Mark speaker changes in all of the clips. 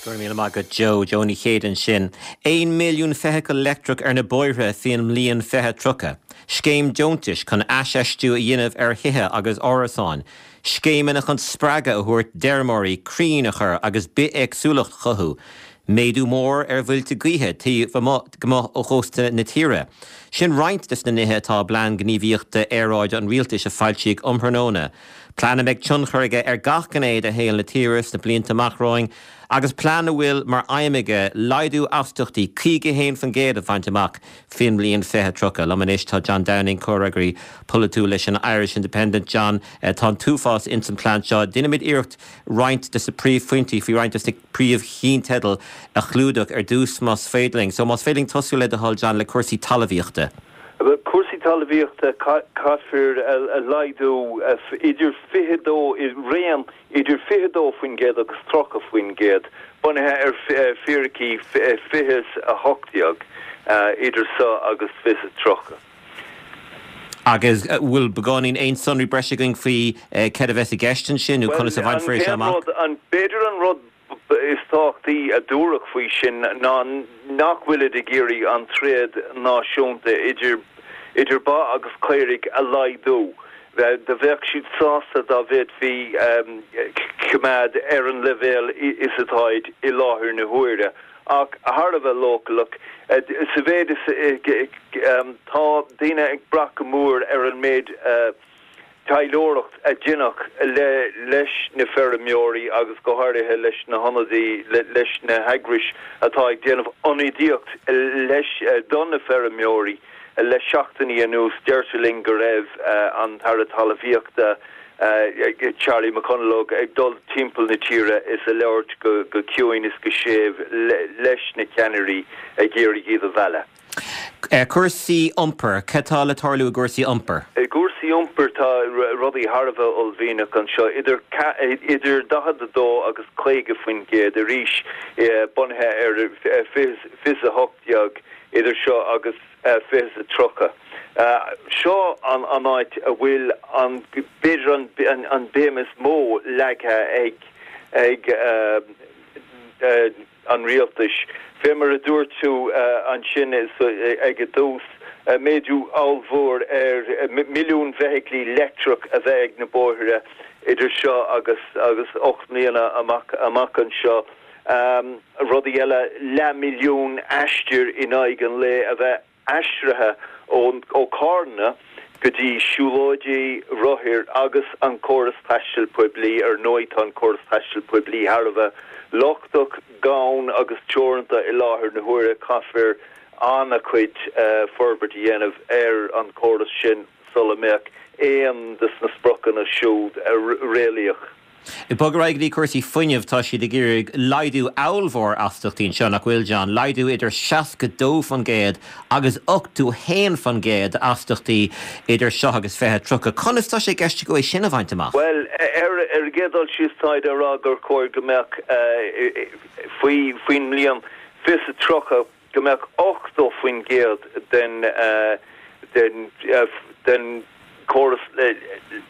Speaker 1: Go raibh míle maith agat Joe. Joe Ní Chéide ansin. 1 milliún feithicil leictreach ar na bóithre faoin mbliain 2030. Scéim deontais chun aisfheistiú a dhéanamh ar thithe agus árasáin. Scéimeanna chun spreagadh a thabhairt d'fheirmeoirí crainn a chur agus bithéagsúlacht a chothú. Méadú mór ar mhuilte gaoithe taobh amuigh ó chósta na tíre. Sin roinnt des na nithe atá i bPlean Gníomhaíochta Aeráide an Rialtais a foilsíodh um thráthnóna. Plean a mbeidh tionchar aige ar gach gné de shaol na tíre sna blianta amach romhainn agus plean a bhfuil mar aidhm aige laghdú astaíochtaí 51% a bhaint amach faoin mbliain 2030. Liom anois tá John Downing, comhfhreagraí polaitiúil leis an Irish Independent. John, tá an t-uafás ins an plean seo. Déanfaimid iarracht roinnt des na príomhphointí faoi roinnt des na príomhcheannteidil a chlúdach ar dtús más féidir linn. So más féidir linn tosú le do thoil John le cúrsaí talmhaíochta.
Speaker 2: Cúrsaí talmhaíochta, caithfear laghdú idir 22, i raon idir 22% agus 30%, bunaithe ar fíricí 2018, idir seo agus 2030.
Speaker 1: Agus bhfuil beagáinín aon sonraí breise againn faoi céard a bheas i gceist ansin nó conas a bhainfear é seo amach?
Speaker 2: B'fhéidir an rud is tábhachtaí a dúradh faoi sin ná nach bhfuilid ag iarraidh an tréad náisiúnta idir idir ba agus caoirigh a laghdú. Do bheadh siad sásta dá bhféadfaí coimeád ar an leibhéal is atáid i láthair na huaire, ach thar a bheith leochaileach sa mhéid is tá daoine ag brath go mór ar an méid taidhleoireacht a deineadh leis na feirmeoirí agus go háirithe leis na hionadaí, leis na heagrais atá ag déanamh ionadaíocht leis do na feirmeoirí le seachtainí anuas. Deirtear linn go raibh an tAire Talmhaíochta, Charlie McConalogue, ag dul timpeall na tíre is ag labhairt go ciúin is go séimh leis na ceannairí ag iarraidh iad a mhealladh.
Speaker 1: Cúrsaí iompair, cad tá le tarlú i gcúrsaí iompair?
Speaker 2: I gcúrsaí iompair tá rudaí thar a bheith uaillmhianach anseo, idir idir 42 agus 50% arís bunaithe ar 2018 idir seo agus 2030. Seo an áit a bhfuil an b'fhéidir an béim is mó leagtha ag ag an rialtais. Fé mar a dúirt tú ansin ag an dtús, méadú ollmhór ar milliún feithiclí leictreach a bheith ag na bóithre idir seo agus agus 8 mbliana amach amach anseo. Rudaí eile, leathmhilliún aistir in aghaidh an lae a bheith aistrithe ó carranna go dtí siúlóidí, rothair agus an córas taistil poiblí. Ar ndóigh tá an córas taistil poiblí thar a bheith lochtach, gann agus teoranta i láthair na huaire. Caithfear an-chuid forbairt a dhéanamh ar an chóras sin sula mbeadh aon de na spriocanna siúd réalaíoch.
Speaker 1: Ag bogadh ar aghaidh go dtí cúrsaí fuinnimh, tá siad ag iarraidh laghdú ollmhór astaíochtaí anseo, nach bhfuil, John? Laghdú idir 62% agus 81% d'astaíochtaí idir seo agus 2030. Conas tá sé i gceist acu é sin a bhaint amach?
Speaker 2: Bhuel, ar an gcéad dul síos táid á rá gur chóir go mbeadh faoi faoin mbliain 2030, go mbeadh 80% den den den chóras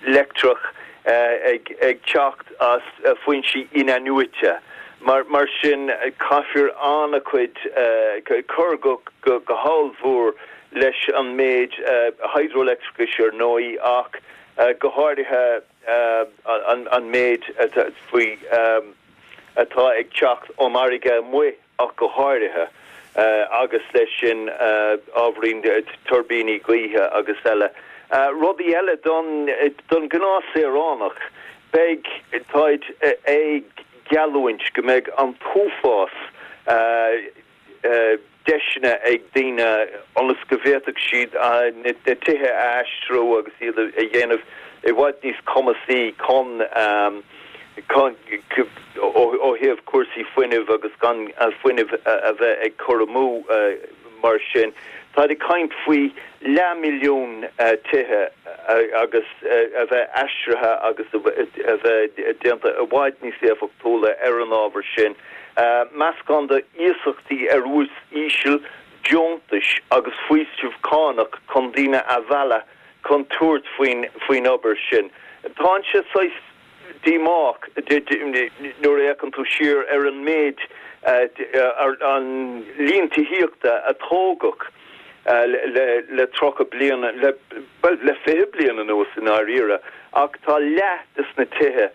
Speaker 2: leictreach ag ag teacht as foinsí in-athnuaite. Mar mar sin caithfear an-chuid cur go go hollmhór leis an méid hidroleictreachais ar ndóigh ach go háirithe an an méid faoi atá ag teacht ón bhfarraige amuigh. ach go háirithe, agus leis sin ábhairín tuirbíní gaoithe agus eile. Rudaí eile don don ghnáthshaoránach, beidh, táid ag geallúint go mbeidh an t-uafás deiseanna ag daoine ionas go bhféadfadh siad na tithe a aistriú agus iad a dhéanamh i bhfad níos cumasaí chun ó thaobh cúrsaí fuinnimh agus gan fuinneamh a bheith ag cur amú mar sin. Táid ag caint faoi leathmhilliún tithe agus a bheith aistrithe agus a bheith déanta i bhfad níos éifeachtúla ar an ábhar sin. Meascán de iasachtaí ar ús íseal, deontais agus faoiseamh cánach chun daoine a mhealladh chun tabhairt faoin obair sin. Tá sé saghas. Díomách nuair a fhéachann tú siar ar an méid, an líon tithíochta a tógadh le 30 bliain, bhuel, le 20 bliain anuas i ndáiríre, ach tá leath de na tithe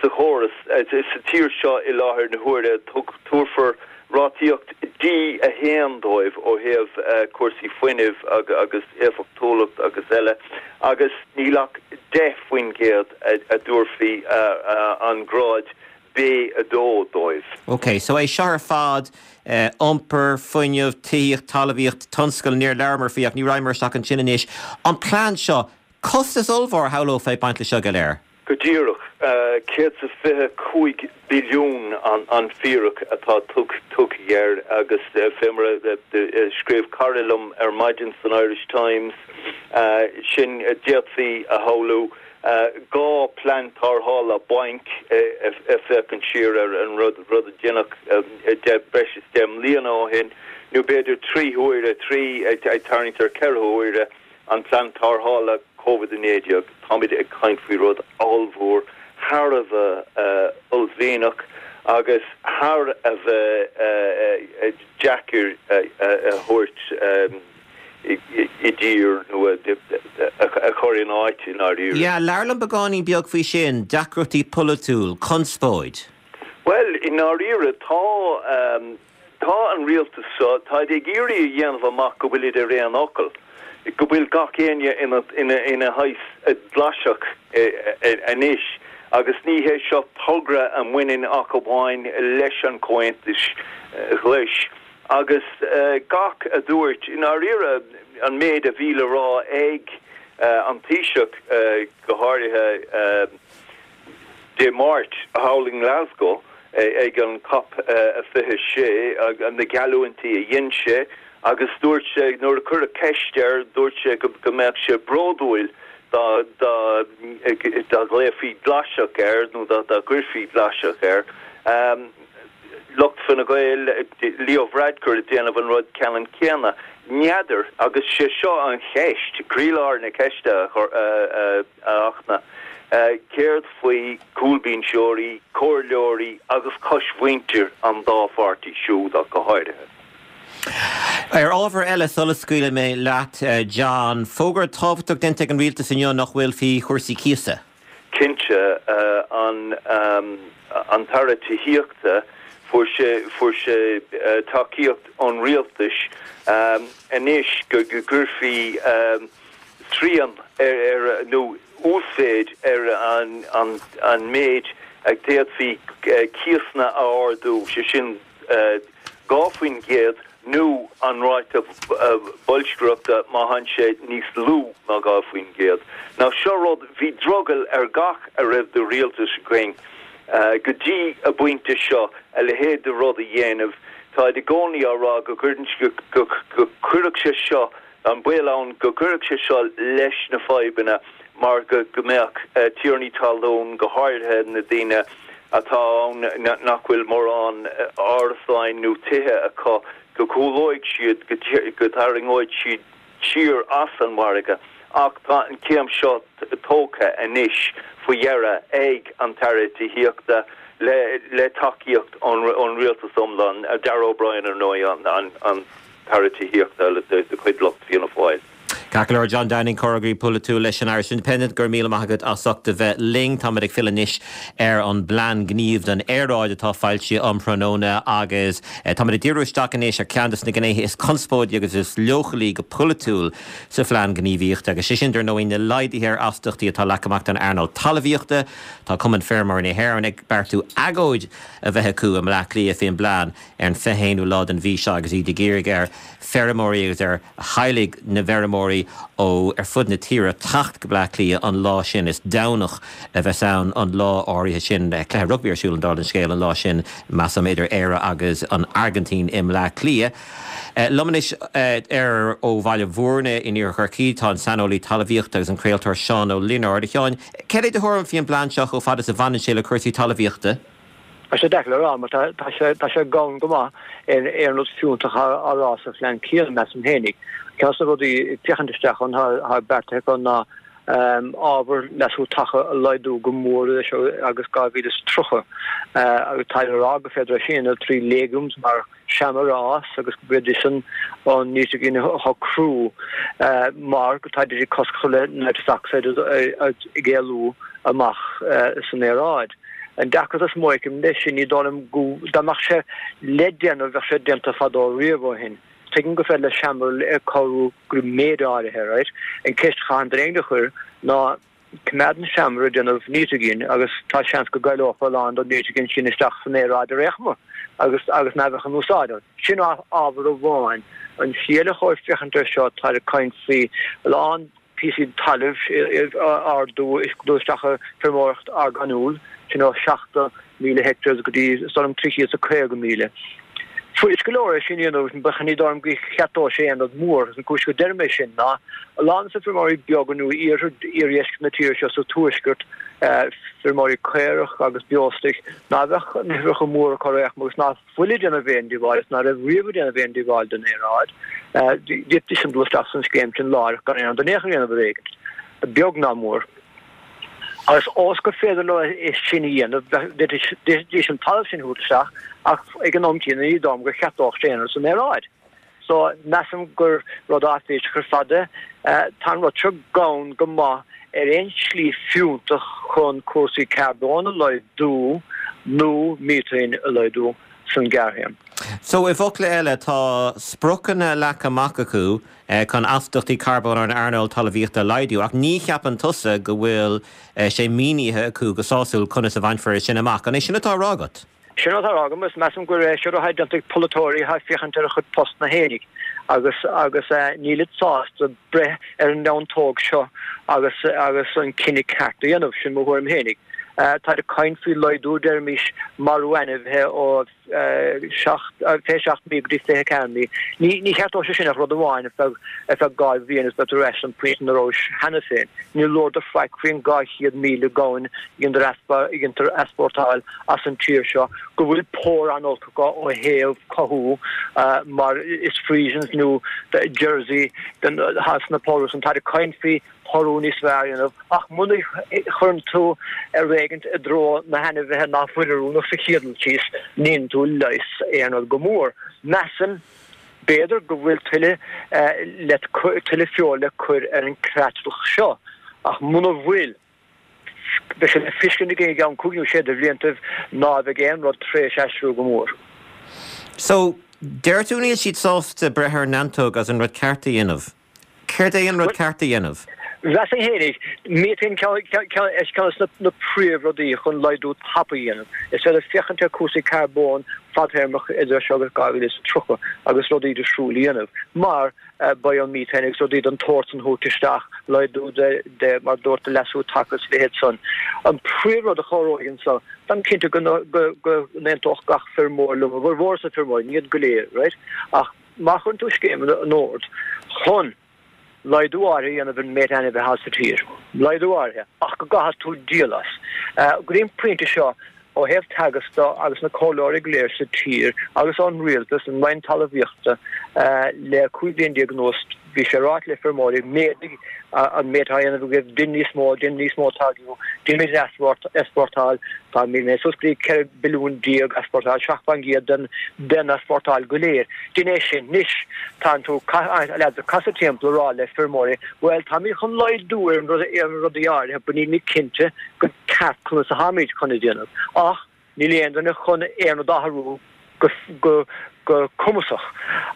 Speaker 2: sa chóras sa tír seo i láthair na huaire, tabharfar rátaíocht D1 dóibh ó thaobh cúrsaí fuinnimh agus éifeachtúlacht agus eile, agus níl ach 10% a dtabharfaí an grád B2 dóibh.
Speaker 1: Ok, so é seo ar fad, iompar, fuinneamh, tithíocht, talmhaíocht, tionscal, níor labhramar faoi ach ní raghaimar isteach ansin anois. An plean seo, costas ollmhór a shamhlófá ag baint leis seo go léir.
Speaker 2: Go díreach, 125 billiún an fíric atá tugtha air agus fé mar a scríobh cara liom ar maidin san Irish Times, sin d'fhéadfaí a shamhlú 2 plean tarrthála bainc ag féachaint siar ar an rud a deineadh breis is 10 mbliana ó shin, nó b'fhéidir 3 huaire, 3 ag tarraingt ar 4 huaire. An Plean Tarrthála Covid-19, táimid ag caint faoi rud ollmhór, thar a bheith uaillmhianach agus thar a bheith deacair a thabhairt i dtír nó a chur in áit i ndáiríre.
Speaker 1: Yeah, labhair liom beagáinín beag faoi sin, deacrachtaí polaitiúil, conspóid.
Speaker 2: Bhuel, i ndáiríre, tá. Tá an rialtas seo, táid ag iarraidh a dhéanamh amach go bhfuilid ar aon fhocal, go bhfuil gach éinne ina shaghas Glasach anois agus ní hé seo togra a mbaineann ach amháin leis an Chomhaontas Ghlais agus gach a dúirt, i ndáiríre, an méid a bhí le rá ag an Taoiseach go háirithe. Dé Máirt thall i nGlasgow ag an Cop 26, na geallúintí a dhein sé agus dúirt sé, nuair a cuireadh ceist air, dúirt sé go mbeadh sé bródúil dá ghlaofaí Glasach air nó dá gcuirfí Glasach air. Lucht Fine Gael, Leo Varadkar ag déanamh an rud ceannann céanna. N'fheadar, agus sé seo an cheist, croílár na ceiste a Fhachtna, céard faoi chúlbhinseoirí, comhairleoirí agus coismhuintir an dá pháirtí siúd ach go háirithe?
Speaker 1: Ar ábhar eile, sula scaoilfidh mé leat, John, fógra tábhachtach déanta ag an rialtas inniu nach bhfuil faoi chúrsaí cíosa.
Speaker 2: Cinnte, an tAire Tithíochta, fuair sé, fuair sé tacaíocht ón rialtas anois go gcuirfí srian ar, nó uasmhéid ar an méid a d'fhéadfaí cíosanna a ardú, sé sin 2% nó an ráta boilscreachta má tánn sé níos lú ná 2%. Now seo rud, bhí drogall ar gach a raibh de rialtas againn go dtí an bpointe seo a leithéid de rud a dhéanamh. Táid i gcónaí á rá go gcuireann, go gcuirfeadh sé seo, an baol ann go gcuirfeadh sé seo leis na fadhbanna mar go mbeadh tiarnaí talún, go háirithe na daoine atá ann nach bhfuil mórán árasáin nó tithe acu, go gcúlóidh siad, go dtarraingeoidh siad siar as an mhargadh. Ach tá an chéim seo tógtha anois faoi dheireadh ag an tAire Tithíochta le tacaíocht ón rialtas iomlán, Darragh O'Brien ar ndóigh an tAire Tithíochta de chuid lucht Fianna Fáil.
Speaker 1: Ceart go leor, John Downing, Comhfhreagraí Polaitiúil leis an Irish Independent, go raibh míle maith agat as ucht a bheith linn. Táimid ag filleadh anois ar an bPlean Gnímh don Aeráid atá foilsithe um thráthnóna agus táimid ag díriú isteach anois ar cheann de na gnéithe is conspóidí agus is leochailí go polaitiúil sa Phlean Gníomhaíochta agus sé sin, dar ndóigh, na laghduithe ar astaíochtaí atá leagtha amach don earnáil talmhaíochta. Tá Cumann Feirmeoirí na hÉireann ag beartú agóid a bheith acu i mBleá Cliath faoin bplean ar an 21ú lá den mhí seo agus iad ag iarraidh ar feirmeoirí agus ar theaghlaigh na bhfeirmeoirí ó ar fud na tíre teacht go Bleá Cliath an lá sin. Is Domhnach a bheas ann an lá áirithe sin. Cluiche rugbaí ar siúl an dála an scéil an lá sin, measaim, idir Éire agus an Airgintín i mBleá Cliath. Liom anois ar ó Bhaile Bhúirne in Iarthar Chorcaí tá an saineolaí talmhaíochta agus an craoltóir Seán Ó Lionáird. A Sheáin, céard é do thuairim faoin bplean seo chomh fada is a bhaineann sé le cúrsaí talmhaíochta?
Speaker 3: Tá sé deacair le rá mar tá sé tá sé gann go maith ar aon rud fiúntach á rá sa phlean céanna, measaim féinig. Ceann de na rudaí ag féachaint isteach ann atá beartaithe acu ná. Ábhar leasú taca a laghdú go mór idir seo agus 2030 agus táid ag rá gur féidir é sin a dhéanamh trí legumes mar seamair a fhás agus gurb iad sin an nítrigin a shocrú mar go táid ag cosc a chur le nitrous oxide ag éalú amach san aeráid. An deacracht is mó a fheicim leis sin, ní dóigh liom go, dá mbeadh sé le déanamh bheadh sé déanta fadó riamh ó shin. Tuigim gur féidir le seamair cabhrú go méid áirithe, right? An ceist a chaitheann duine éigin a chur ná coimeádann seamair ag déanamh nítrigin agus tá seans go gcailleofar a lán den nítrigin sin isteach san aeráid ar aon chuma agus agus ná bheadh in úsáid ann. Sin ábhar amháin. An tslí eile chóir féachaint air seo, táid ag caint faoi a lán píosaí talaimh a ardú is dul isteach i feirmeoireacht orgánúil, sin ó 70,000 hectares go dtí is dóigh liom 350,000. Fuirist go leor é sin a dhéanamh, but ní dóigh liom go cheartódh sé aon rud mór. Agus an cúis go deirim é sin ná a lán de na feirmeoirí beaga nó iarthar iardheisceart na tíre seo sa tuaisceart, feirmeoirí caorach agus beostoic, ná bheadh na huimhreacha móra acu ar aon chuma agus ná fuil ag déanamh aon díobháil is ná raibh riamh ag déanamh aon díobháil don aeráid. D'fhéadfaidís dul isteach san scéim sin láithreach gan aon rud in aon chor a dhéanamh ar éigin, beag ná mór. Agus ós gur féidir leo é sin a dhéanamh, d'fhéadfaidís an talamh sin a thabhairt isteach ach ag an am céanna ní dóigh liom go cheartódh sé aon rud san aeráid. So, measaim gur rud áiféiseach ar fad é. Tá an rud seo gann go maith ar aon slí fiúntach chun cúrsaí carbóin a laghdú nó miotain a laghdú san ghearrthéarma.
Speaker 1: So, i bhfocla eile, tá spriocanna leagtha amach acu chun astaíochtaí carbóin ón earnáil talmhaíochta a laghdú, ach ní cheapann tusa go bhfuil sé mínithe acu go sásúil conas a bhainfear é sin amach. An é sin atá á rá agat?
Speaker 3: Sin atá á rá agam agus measaim gur é seo atá déanta ag polaiteoirí atá ag féachaint ar a chuid postanna fhéinig agus agus nílid sásta breith ar an neantóg seo agus agus an cinneadh ceart a dhéanamh, sin mo thuairim fhéinig. Táid ag caint faoi laghdú deirimis marú ainmhithe ó 27 mí go dtí 24 mí. Ní ní cheartódh sé sin ach rud amháin ar feadh ar feadh 2 bhliain is beidh tú ar ais an pointe ina rabhais cheana féin. Ní labhradar faic faoin 200,000 gamhain a dhéantar easpórtáil as an tír seo go bhfuil pór an-olc acu ó thaobh cothú mar is Friesians nó Jersey atá sna póru san. Táid ag caint faoi pórú níos fearr a dhéanamh ach muna chuireann tú rud éigint i dtreo na hainmhithe ná fuil oiriúnach sa chéad dul síos ní dhéanann tú leigheas aon rud go mór. Measaim b'fhéidir go bhfuil tuilleadh le tuilleadh feoil le cur ar an creatlach seo ach muna bhfuil Beidh sé le feiscint againn i gceann cúig nó sé de bhliantaibh ná beidh aon rud tar éis aistriú go mór.
Speaker 1: So, deir tú níl siad sásta breith ar an neantóg agus an rud ceart a dhéanamh. Céard é an rud ceart a dhéanamh?
Speaker 3: Mheasfainn fhéinig, miotain ceann de na príomhrudaí chun laghdú tapa a dhéanamh. Is féidir féachaint ar cúrsaí carbóin fadtéarmach idir seo agus 2030 agus rudaí difriúil a dhéanamh. Mar beidh an miotain agus rudaí den tsórt san a thabhairt isteach, laghdú de mar dúirt de leasú taca is a leithéid san. An príomhrud a chabhróidh anso, táim cinnte go n-aontódh gach feirmeoir liom, a bhformhór de na feirmeoirí, ní iad go léir, right, ach má chuireann tú scéim in ord chun laghdú áirithe a dhéanamh ar an méid ainmhithe atá sa tír, laghdú áirithe, ach go gcaithfidh tú díol as. Go dtí an pointe seo, Ó thaobh Teagasc de agus na comhairleoirí go léir sa tír agus ón rialtas, an Roinn Talmhaíochta, le 15 bliain anuas bhí sé ráite le feirmeoirí, méadaigh an méid atá á dhéanamh agaibh, déan níos mó, déan níos mó táirgiú, déanaimid an easpórtáil, tá mé suas go dtí 14 billiún easpórtáil, 7% den den easpórtáil go léir. Déan é sin. Anois tá tú leaids ag casadh timpeall ag rá le feirmeoirí, bhuel táimid chun laghdú ar rudaí áirithe but nílimid cinnte go ceart conas atáimid chun a déanamh, ach níl aon duine chun aon rud a athrú go go cumasach.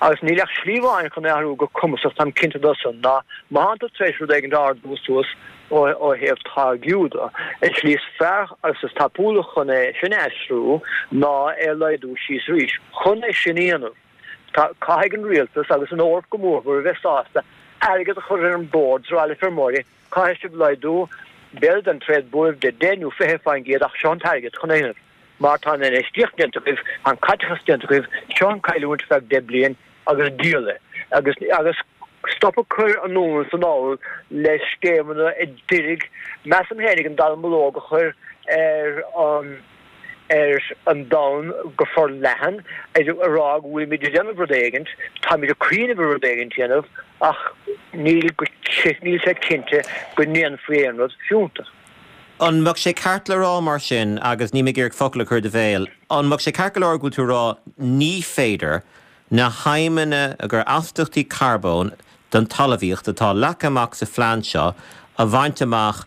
Speaker 3: Agus níl ach slí amháin chun é a athrú go cumasach, táim cinnte de san, ná má thánn tú tar éis rud éigin a ardú suas ó thaobh táirgiú de, an tslí is fearr agus is tapúla chun é sin a aistriú ná é a laghdú síos arís. Chun é sin a dhéanamh, caithfidh an rialtas agus an Eoraip go mórmhór a bheith sásta airgead a chur ar an bord is a rá le feirmeoirí, Caithfidh sibh laghdú, b'fhéidir den tréad buaibh de 10 nó 20% ach seo an t-airgead chun é a dhéanamh. Mar tá an infheistíocht déanta agaibh, tá an caiteachas déanta agaibh, seo an cailliúint ar feadh 10 bliain agus díol é. Agus agus stop ag cur anonn is anall le scéimeanna a d'iarraidh, measaim féinig, an dallamullóg a chur ar an ar an domhan go forleathan, ag rá go bhfuilimid ag déanamh rud éigint, táimid ag cuimhneamh ar rud éigint a dhéanamh, ach níl go. níl sé cinnte go ndéanfaí aon rud fiúntach.
Speaker 1: An mbeadh sé ceart le rá mar sin, agus níl mé ag iarraidh focal a chur i do bhéal, an mbeadh sé ceart go leor go bhfuil tú ag rá ní féidir na haidhmeanna gur astaíochtaí carbóin don talmhaíocht atá leagtha amach sa phlean seo a bhaint amach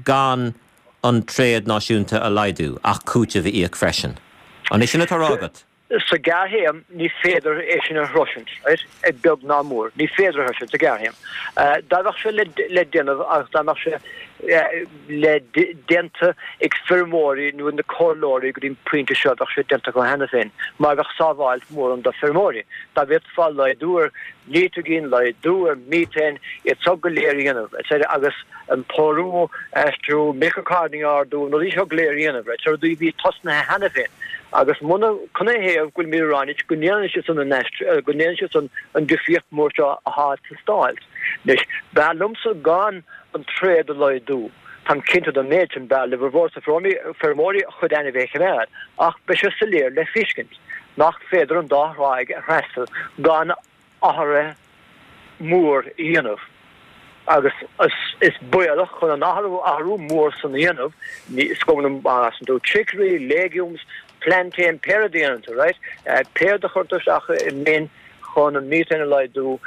Speaker 1: gan an tréad náisiúnta a laghdú ach cúiteamh a íoc freisin? An é sin atá á rá agat?
Speaker 3: Sa ghearrthéarma, ní féidir é sin a shroisint, right, beag ná mór. Ní féidir a shroisint sa ghearrthéarma. Dá mbeadh sé le déanamh agus dá mbeadh sé le déanta ag feirmeoirí nó ag na comhairleoirí go dtí an pointe seo, bheadh sé déanta acu cheana féin, mar bheadh sábháilt mhór ann do feirmeoirí. Dá bhféadfá laghdú ar nítrigin, laghdú ar mhethane, iad seo go léir a dhéanamh, etc. agus an pórú a aistriú, milk cartoning a ardú, na rudaí seo go léir a dhéanamh, right, so rudaí a bhí tosnaithe cheana féin. Agus muna, canathaobh go bhfuilimid ag rá anois go ndéanann siad san an aistriú, go ndéanann siad san an difríocht mór seo atá ag teastáil. Anois, b'fhearr liomsa gan an tréad a laghdú, táim cinnte den méid sin, b'fhearr le formhór feirmeoirí a chuid ainmhithe a choimeád, ach beidh sé soiléir le feiscint nach féidir an dá thráigh a fhreastal gan athruithe mór a dhéanamh agus is baolach chun an athrú athrú mór san a dhéanamh, is cuma má fhásann tú chicory, legumes, plantain, pé rud a dhéanann tú, right, pé rud a chuir tú isteach i mbin chun an methane a laghdú,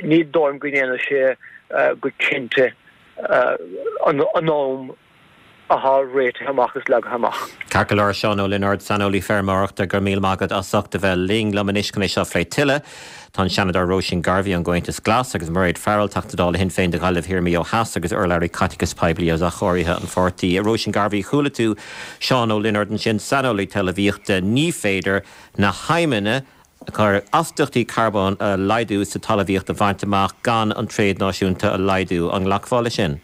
Speaker 3: ní dóigh liom go ndéanfaidh sé go cinnte an am atá réitithe amach is leagtha amach.
Speaker 1: Ceart go leor, Seán Ó Lionáird, saineolaí feirmeoireachta, go raibh míle maith agat as ucht a bheith linn. Liom anois chun é seo a phlé tuilleadh, tá an Seanadóir Róisín Garvey ón gComhaontas Glas agus Mairéad Farrell, Teachta Dála Shinn Féin do Ghaillimh Thiar Maigh Eo Theas agus urlabhraí caiteachais poiblí agus athchóirithe an pháirtí. A Róisín Garvey, chuala tú Seán Ó Lionáird ansin, saineolaí talmhaíochta, ní féidir na haidhmeanna chun astaíochtaí carbóin a laghdú sa talmhaíocht a bhaint amach gan an tréad náisiúnta a laghdú. An nglacfá leis sin?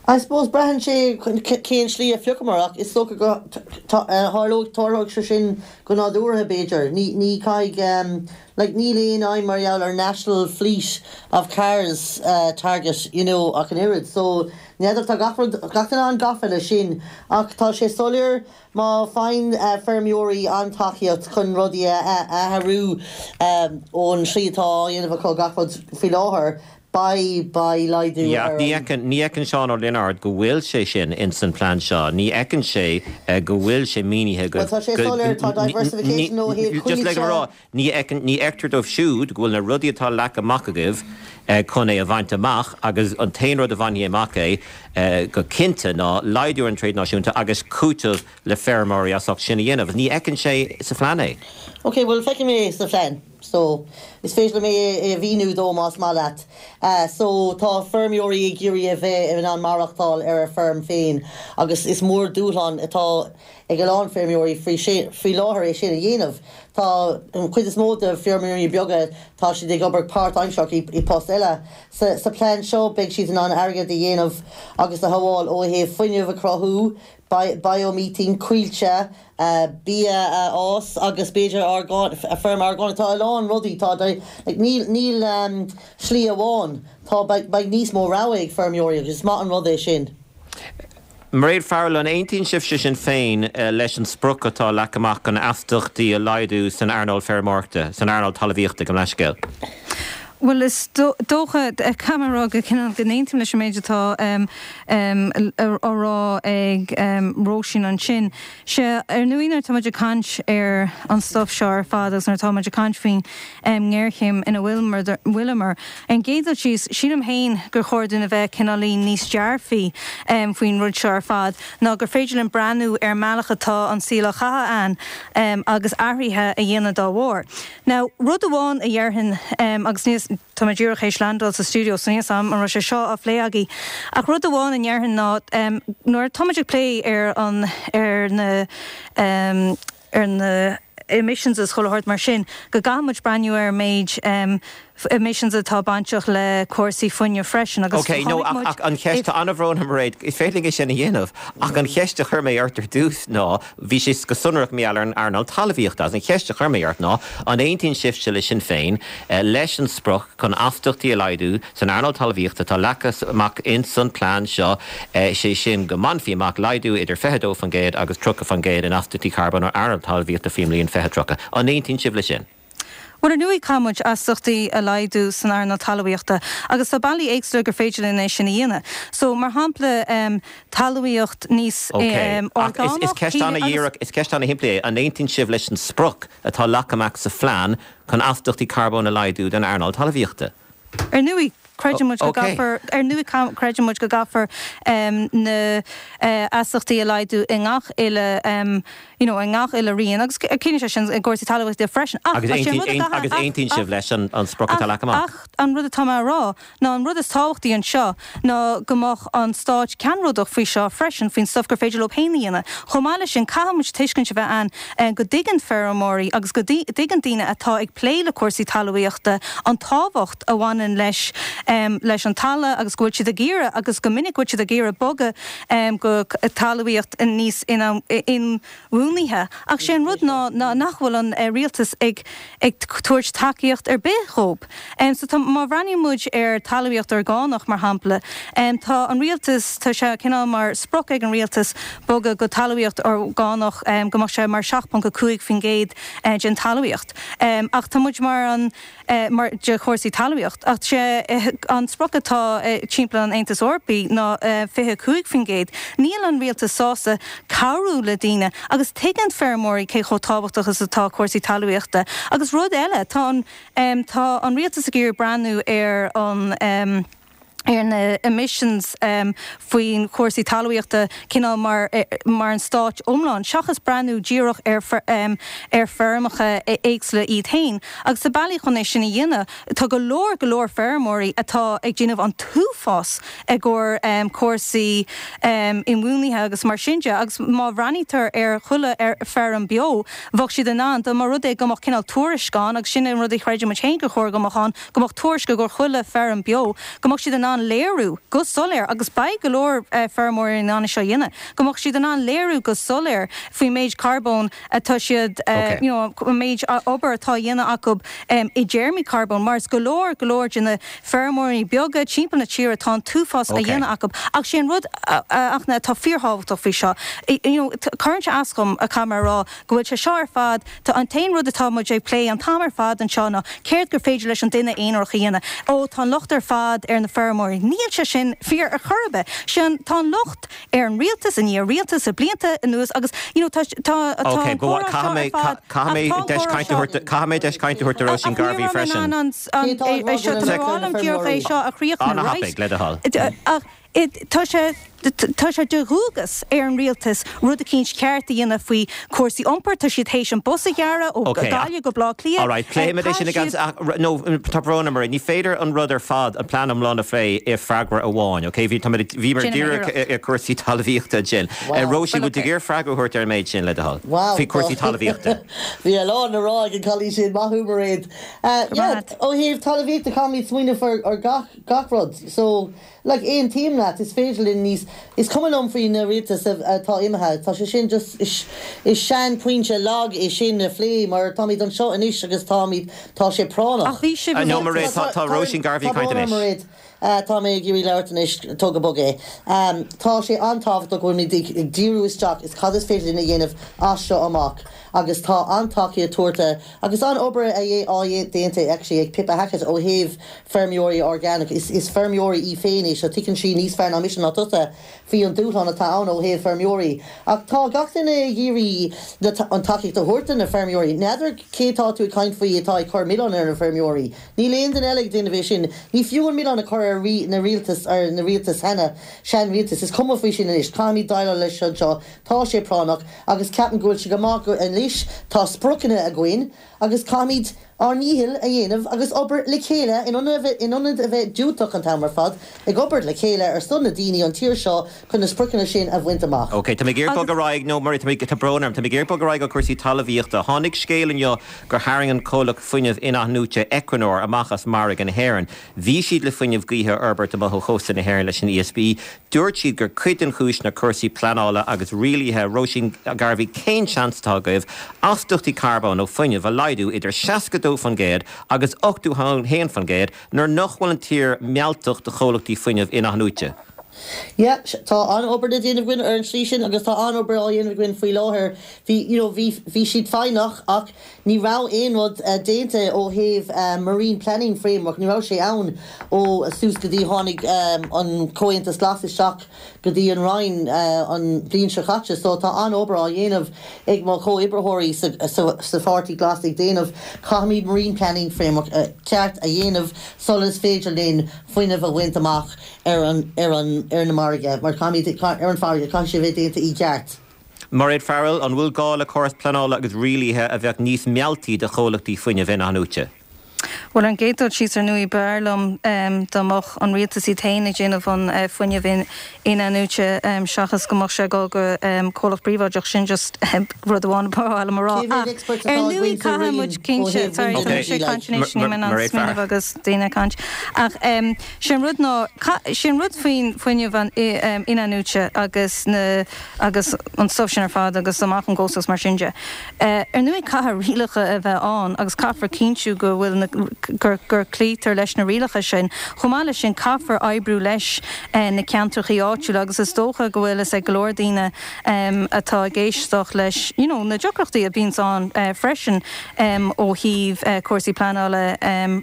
Speaker 4: I suppose braitheann sé cén slí a phiocamar ach is dócha go tharlóidh tarlóidh sé sin go nádúrtha b'fhéidir. Ní ní caithfidh like níl aon aidhm mar gheall ar national fleet of cars target you know ach an oiread so n'fheadar tá gach rud gach duine an-gafa leis sin ach tá sé soiléir má faigheann feirmeoirí an-tacaíocht chun rudaí a athrú ón slí atá á dhéanamh acu gach rud faoi láthair Beidh, beidh laghdú
Speaker 1: Yeah, ach ní fheiceann, ní fheiceann Seán Ó Lionáird go bhfuil sé sin ins an plean seo. Ní fheiceann sé go bhfuil sé mínithe go,
Speaker 4: Bhuel, tá sé soiléir, tá diversification ó thaobh
Speaker 1: just le go rá, ní fheiceann, ní fheictear dóibh siúd go bhfuil na rudaí atá leagtha amach agaibh chun é a bhaint amach agus an t-aon rud a bhainfidh amach é go cinnte ná laghdú ar an tréad náisiúnta agus cúiteamh le feirmeoirí as ucht sin a dhéanamh. Ní fheiceann sé sa phlean é.
Speaker 4: Ok, bhuel feicim é sa phlean. So, is féidir liom é a mhíniú dó más maith leat. So, tá feirmeoirí ag iarraidh a bheith in ann maireachtáil ar a feirm féin agus is mór dúshlán atá ag a lán feirmeoirí faoi faoi láthair é sin a dhéanamh. Tá an chuid is mó de feirmeoirí beaga, tá siad ag obair páirtaimsearach i post eile. Sa sa plean seo beidh siad in ann airgead a dhéanamh agus a shábháil ó thaobh fuinneamh a chruthú, biomethane, coillte, bia a fhás agus b'fhéidir feirm orgánach. Tá a lán rudaí, tá, like, níl, níl slí amháin, tá, beidh, beidh níos mó rogha ag feirmeoirí agus is maith an rud é sin.
Speaker 1: Mairéad Farrell, an aontaíonn sibhse Sinn Féin leis an sprioc atá leagtha amach chun astaíochtaí a laghdú san earnáil feirmeoireachta, san earnáil talmhaíochta, gabh mo leithscéal?
Speaker 5: Bhuel, is dócha, caithfidh mé a rá go cineál go n-aontaím leis an méid atá á rá ag Róisín ansin. Sea, ar ndóigh nuair atá muid ag caint ar an stuif seo ar fad agus nuair atá muid ag caint faoin ngéarchéim ina bhfuileamar, ar an gcéad dul síos, sílim féin gur chóir dúinn a bheith cineáilín níos dearfaí faoin rud seo ar fad ná gur féidir linn breathnú ar an mbealach atá an saol á chaitheamh againn agus athruithe a dhéanamh dá bharr. Now, rud amháin a dhéarfainn, agus níl, tá mé díreach théis landáil sa stiúideo so níl 'fhios a'm an raibh sé seo á phlé agaibh, ach rud amháin a ndéarfainn ná, nuair atá muid ag plé ar an, ar na, ar na emissions is chuile shórt mar sin, go gcaithfidh muid breathnú ar an méid emissions atá bainteach le cúrsaí fuinnimh freisin agus
Speaker 1: Ok, no, chonaic muid ach an cheist, tá an-bhrón orm a Mhairéad, is féidir linn é sin a dhéanamh, ach an cheist a chuir mé ort ar dtús ná, bhí sé go sonrach mar gheall ar an earnáil talmhaíochta, agus an cheist a chuir mé ort ná, an aontaíonn sibhse le Sinn Féin leis an sprioc chun astaíochtaí a laghdú san earnáil talmhaíochta atá leagtha amach ins an plean seo, sé sin go mbainfí amach laghdú idir 22% agus 30% in astaíochtaí carbóin ón earnáil talmhaíochta faoin mbliain 2030. An aontaíonn sibh leis sin?
Speaker 5: Bhuel, ar ndóigh, caithfidh muid astaíochtaí a laghdú san earnáil talmhaíochta agus tá bealaí éagsúla gur féidir linn é sin a dhéanamh. So, mar shampla, talmhaíocht níos
Speaker 1: Ok, ach is
Speaker 5: orgánach,
Speaker 1: ceist ana-dhíreach, is ceist ana-shimplí é. An aontaíonn sibh leis an sprioc atá leagtha amach sa phlean chun astaíochtaí carbóin a laghdú don earnáil talmhaíochta?
Speaker 5: Ar ndóigh, creideann muid go gcaithfear, ar ndóigh, creideann muid go gcaithfear na astaíochtaí a laghdú i ngach uile, you know, i ngach uile rian agus ciallaíonn sé sin i gcúrsaí talmhaíochta freisin.
Speaker 1: Ach is é an rud a gcaithfidh, agus aontaíonn sibh leis an sprioc atá leagtha amach?
Speaker 5: Ach an rud atá mé a rá ná an rud is tábhachtaí anseo ná go mbeadh an stát ceannródach faoi seo freisin, faoin stuif gur féidir leo féin a dhéanamh. Chomh maith leis sin, caithfidh muid tuiscint a bheith ann go dtuigeann feirmeoirí agus go dtuigeann daoine atá ag plé le cúrsaí talmhaíochta an tábhacht a bhaineann leis leis an talamh agus go bhfuil siad ag iarraidh agus go minic go bhfuil siad ag iarraidh bogadh go talmhaíocht níos inbhuanaithe. Ach sé an rud ná nach bhfuil an rialtas ag ag tabhairt tacaíocht ar bith dhób. So tá, má bhreathnaíonn muid ar talmhaíocht orgánach, mar shampla, tá an rialtas, tá sé cineál mar sprioc ag an rialtas bogadh go talmhaíocht orgánach, go mbeadh sé mar 7.5% den talmhaíocht. Ach tá muid mar an, mar, de chúrsaí talmhaíocht. Ach sé an sprioc atá timpeall an Aontais Eorpaigh ná 25%. Níl an rialtas sásta cabhrú le daoine agus tuigeann feirmeoirí cé chomh tábhachtach is atá cúrsaí talmhaíochta. Agus rud eile, tá an, tá an rialtas ag iarraidh breathnú ar an, ar na emissions faoin chúrsaí talmhaíochta cineál mar, mar an stáit iomlán, seachas breathnú díreach ar, ar feirmeacha éagsúla iad féin. Agus tá bealaí chun é sin a dhéanamh. Tá go leor, go leor feirmeoirí atá ag déanamh an t-uafás i gcomhair cúrsaí inbhuanaithe agus mar sin de agus má bhreathnaítear ar chuile feirm beo, bheadh siad in ann, dá mba rud é go mbeadh cineál tuairisc ann, agus sin an rud a chreideann muid féin gur chóir go mbeadh ann, go mbeadh tuairisc i gcomhair chuile feirm beo, go mbeadh siad in ann léiriú go soiléir, agus beidh go leor feirmeoirí in ann é seo a dhéanamh, go mbeadh siad in ann léiriú go soiléir faoin méid carbóin atá siad, you know, an méid obair atá á dhéanamh acu i dtéarmaí carbóin, mar is go leor, go leor de na feirmeoirí beaga timpeall na tíre tá an t-uafás á dhéanamh acu. Ach sé an rud Fhachtna atá fíorthábhachtach faoi seo, you know, cuireann sé as dhom, caithfidh mé a rá, go bhfuil sé seo ar fad, tá an t-aon rud atá muid ag plé an t-am ar fad anseo ná céard gur féidir leis an duine aonarach a dhéanamh. Ó, tá an locht ar fad ar na feirmeoirí. Níl sé sin fíor ar chor ar bith. Sé an, tá an locht ar an rialtas i ndiaidh rialtas le blianta anuas agus you know tá tá tá
Speaker 1: Ok,
Speaker 5: an
Speaker 1: but
Speaker 5: comhrá seo
Speaker 1: caithfidh mé
Speaker 5: ar fad
Speaker 1: caithfidh
Speaker 5: ach
Speaker 1: mé
Speaker 5: tá an
Speaker 1: deis
Speaker 5: comhrá
Speaker 1: cainte a
Speaker 5: seo
Speaker 1: thabhairt caithfidh mé deis cainte a thabhairt do
Speaker 5: ach
Speaker 1: Róisín
Speaker 5: ní
Speaker 1: Garvey
Speaker 5: raibh mé in
Speaker 1: freisin.
Speaker 5: ann an
Speaker 4: Cé tá ag
Speaker 5: é
Speaker 4: rá
Speaker 5: seo
Speaker 4: go
Speaker 5: tá
Speaker 4: bhfuil
Speaker 5: mé
Speaker 4: na
Speaker 5: rá liom díreach é
Speaker 4: feirmeoirí?
Speaker 5: seo a chríochnú
Speaker 1: An-thapaidh,
Speaker 5: right
Speaker 1: le do thoil.
Speaker 5: ach Tá sé tá sé de dhualgas ar an rialtas rud eicínt ceart a dhéanamh faoi chúrsaí iompair. Tá siad théis an bus a ghearradh ó
Speaker 1: Ok,
Speaker 5: Gaillimh go Baile Átha Cliath.
Speaker 1: Alright, pléifimid é sin
Speaker 5: Caithfidh
Speaker 1: i
Speaker 5: siad.
Speaker 1: gceann, no, tá brón orm, ní féidir an rud ar fad, an plean iomlán a phlé i freagra amháin, ok? Bhí, táimid, bhíomar
Speaker 5: Déanfaidh mé
Speaker 1: díreach
Speaker 5: iarracht.
Speaker 1: ar chúrsaí talmhaíochta ansin.
Speaker 4: Wow.
Speaker 1: Róisín,
Speaker 5: Well,
Speaker 1: bhfuil tú ag
Speaker 5: ok.
Speaker 1: iarraidh freagra a thabhairt ar an méid sin, le do thoil?
Speaker 4: Wow,
Speaker 1: Faoi chúrsaí talmhaíochta.
Speaker 4: Bhí a lán le rá ag an cailín sin, maith thú Mairéad.
Speaker 5: Go raibh
Speaker 4: Yeah,
Speaker 5: maith agat.
Speaker 4: ó thaobh talmhaíochta caithfimid smaoineamh ar, ar gach, gach rud. So, Like, aontaím leat, is féidir linn níos, is cuma liom faoi na rialtais atá imithe, tá sé sin just, is sean pointe lag é sin a phlé mar táimid anseo anois agus táimid, tá sé práinneach.
Speaker 5: Ach bhí sibh i
Speaker 1: No,
Speaker 5: rialtas.
Speaker 1: Mairéad, tá, tá Róisín Garvey ag
Speaker 4: Tá
Speaker 1: caint
Speaker 4: brón orm,
Speaker 1: anois.
Speaker 4: Mairéad. Tá mé ag iarraidh labhairt anois, tóg go bog é. Tá sé an-tábhachtach go bhfuilimid ag díriú isteach is cad is féidir linn a dhéanamh as seo amach agus tá an-tacaíocht tabhartha Agus an-obair á déanta actually ag Pippa Hackett ó thaobh feirmeoirí orgánach. Is feirmeoirí í féin í so tuigeann sí níos fearr ná mise ná tusa faoi an dúshlán atá ann ó thaobh feirmeoirí. Ach tá gach duine ag iarraidh an tacaíocht a thabhairt do na feirmeoirí. N'fheadar cé tá tú ag caint faoi atá ag cur milleán ar na feirmeoirí. Níl aon duine eile ag déanamh é sin. Ní fiú an milleán a chur ar na rialtas ar na rialtais cheana, sean-rialtas. Is cuma faoi sin anois. Caithfimid déileáil leis anseo. Tá sé práinneach agus ceapaim go bhfuil sé go maith go anois tá spriocanna againn agus caithfimid ár ndícheall a dhéanamh agus obair le chéile in ionad a bheith diúltach an t-am ar fad, ag obair le chéile ar son na daoine an tír seo chun na spriocanna sin a bhaint amach.
Speaker 1: Ok, tá mé ag iarraidh
Speaker 5: Agus.
Speaker 1: bogadh ar aghaidh, nó mar tá mé, tá brón orm, tá mé ag iarraidh bogadh ar aghaidh ó chúrsaí talmhaíochta. Tháinig scéal inniu gur tharraing an comhlacht fuinnimh in-athnuaite Equinor amach as margadh na hÉireann. Bhí siad le fuinneamh gaoithe a fhorbairt amuigh ó chósta na hÉireann leis an ESB. Dúirt siad gur cuid den chúis ná cúrsaí pleanála agus rialaithe. Róisín Garvey, cén seans atá agaibh astaíochtaí carbóin ó fuinneamh a laghdú idir 62% agus 81% nuair nach bhfuil an tír mealltach do chomhlachtaí fuinnimh in-athnuaite?
Speaker 4: Yeah, tá an-obair le déanamh againn ar an tslí sin agus tá an-obair á dhéanamh againn faoi láthair. Bhí, you know, bhí, bhí siad foighneach ach ní raibh aon rud déanta ó thaobh Marine Planning Framework, ní raibh sé ann ó suas go dtí tháinig an Comhaontas Glas isteach go dtí an Roinn an bhliain seo caite. So tá an-obair á dhéanamh ag mo chomhoibritheoirí sa, sa, sa Pháirtí Glas ag déanamh, caithfimid Marine Planning Framework ceart a dhéanamh sula is féidir linn fuinneamh a bhaint amach. ar an, ar an, ar na margaidh, mar caithfimid, ar an bhfarraige, caithfidh sé a bheith déanta i gceart.
Speaker 1: Mairéad Farrell, An bhfuil gá le córas pleanála agus rialaithe a bheadh níos mealltaí do chomhlachtaí fuinnimh in-athnuaite?
Speaker 5: Bhuel, ar an gcéad dul síos, ar ndóigh, b'fhearr liom dá mbeadh an rialtas iad féin ag déanamh an fuinneamh in-athnuaite seachas go mbeadh sé ag dul go comhlacht príobháideach. Sin just rud amháin ba mhaith liom a rá.
Speaker 4: Cé mhéad
Speaker 5: Ach,
Speaker 4: experts
Speaker 5: ar
Speaker 4: atá
Speaker 5: ndóigh,
Speaker 4: againn sa
Speaker 5: caithfidh
Speaker 4: Roinn
Speaker 5: muid
Speaker 4: ó
Speaker 5: cinnte,
Speaker 4: thaobh
Speaker 5: sorry,
Speaker 4: wind
Speaker 5: tá mise ag
Speaker 4: energy like?
Speaker 5: caint anois, níl mé in ann smaoineamh agus daoine ag caint. Ach, Sé an rud ná, sé an rud faoin fuinneamh in-athnuaite agus na, agus an stuif sin ar fad agus amach ón gcósta agus mar sin de. Ar ndóigh caithfidh rialacha a bheith ann agus caithfear cinntiú go bhfuil na, gur, gur cloítear leis na rialacha sin. Chomh maith leis sin caithfear oibriú leis na ceantrachaí áitiúla agus is dócha go bhfuil fhios ag go leor daoine atá ag éisteacht leis you know na deacrachtaí a bhíonns ann freisin ó thaobh cúrsaí pleanála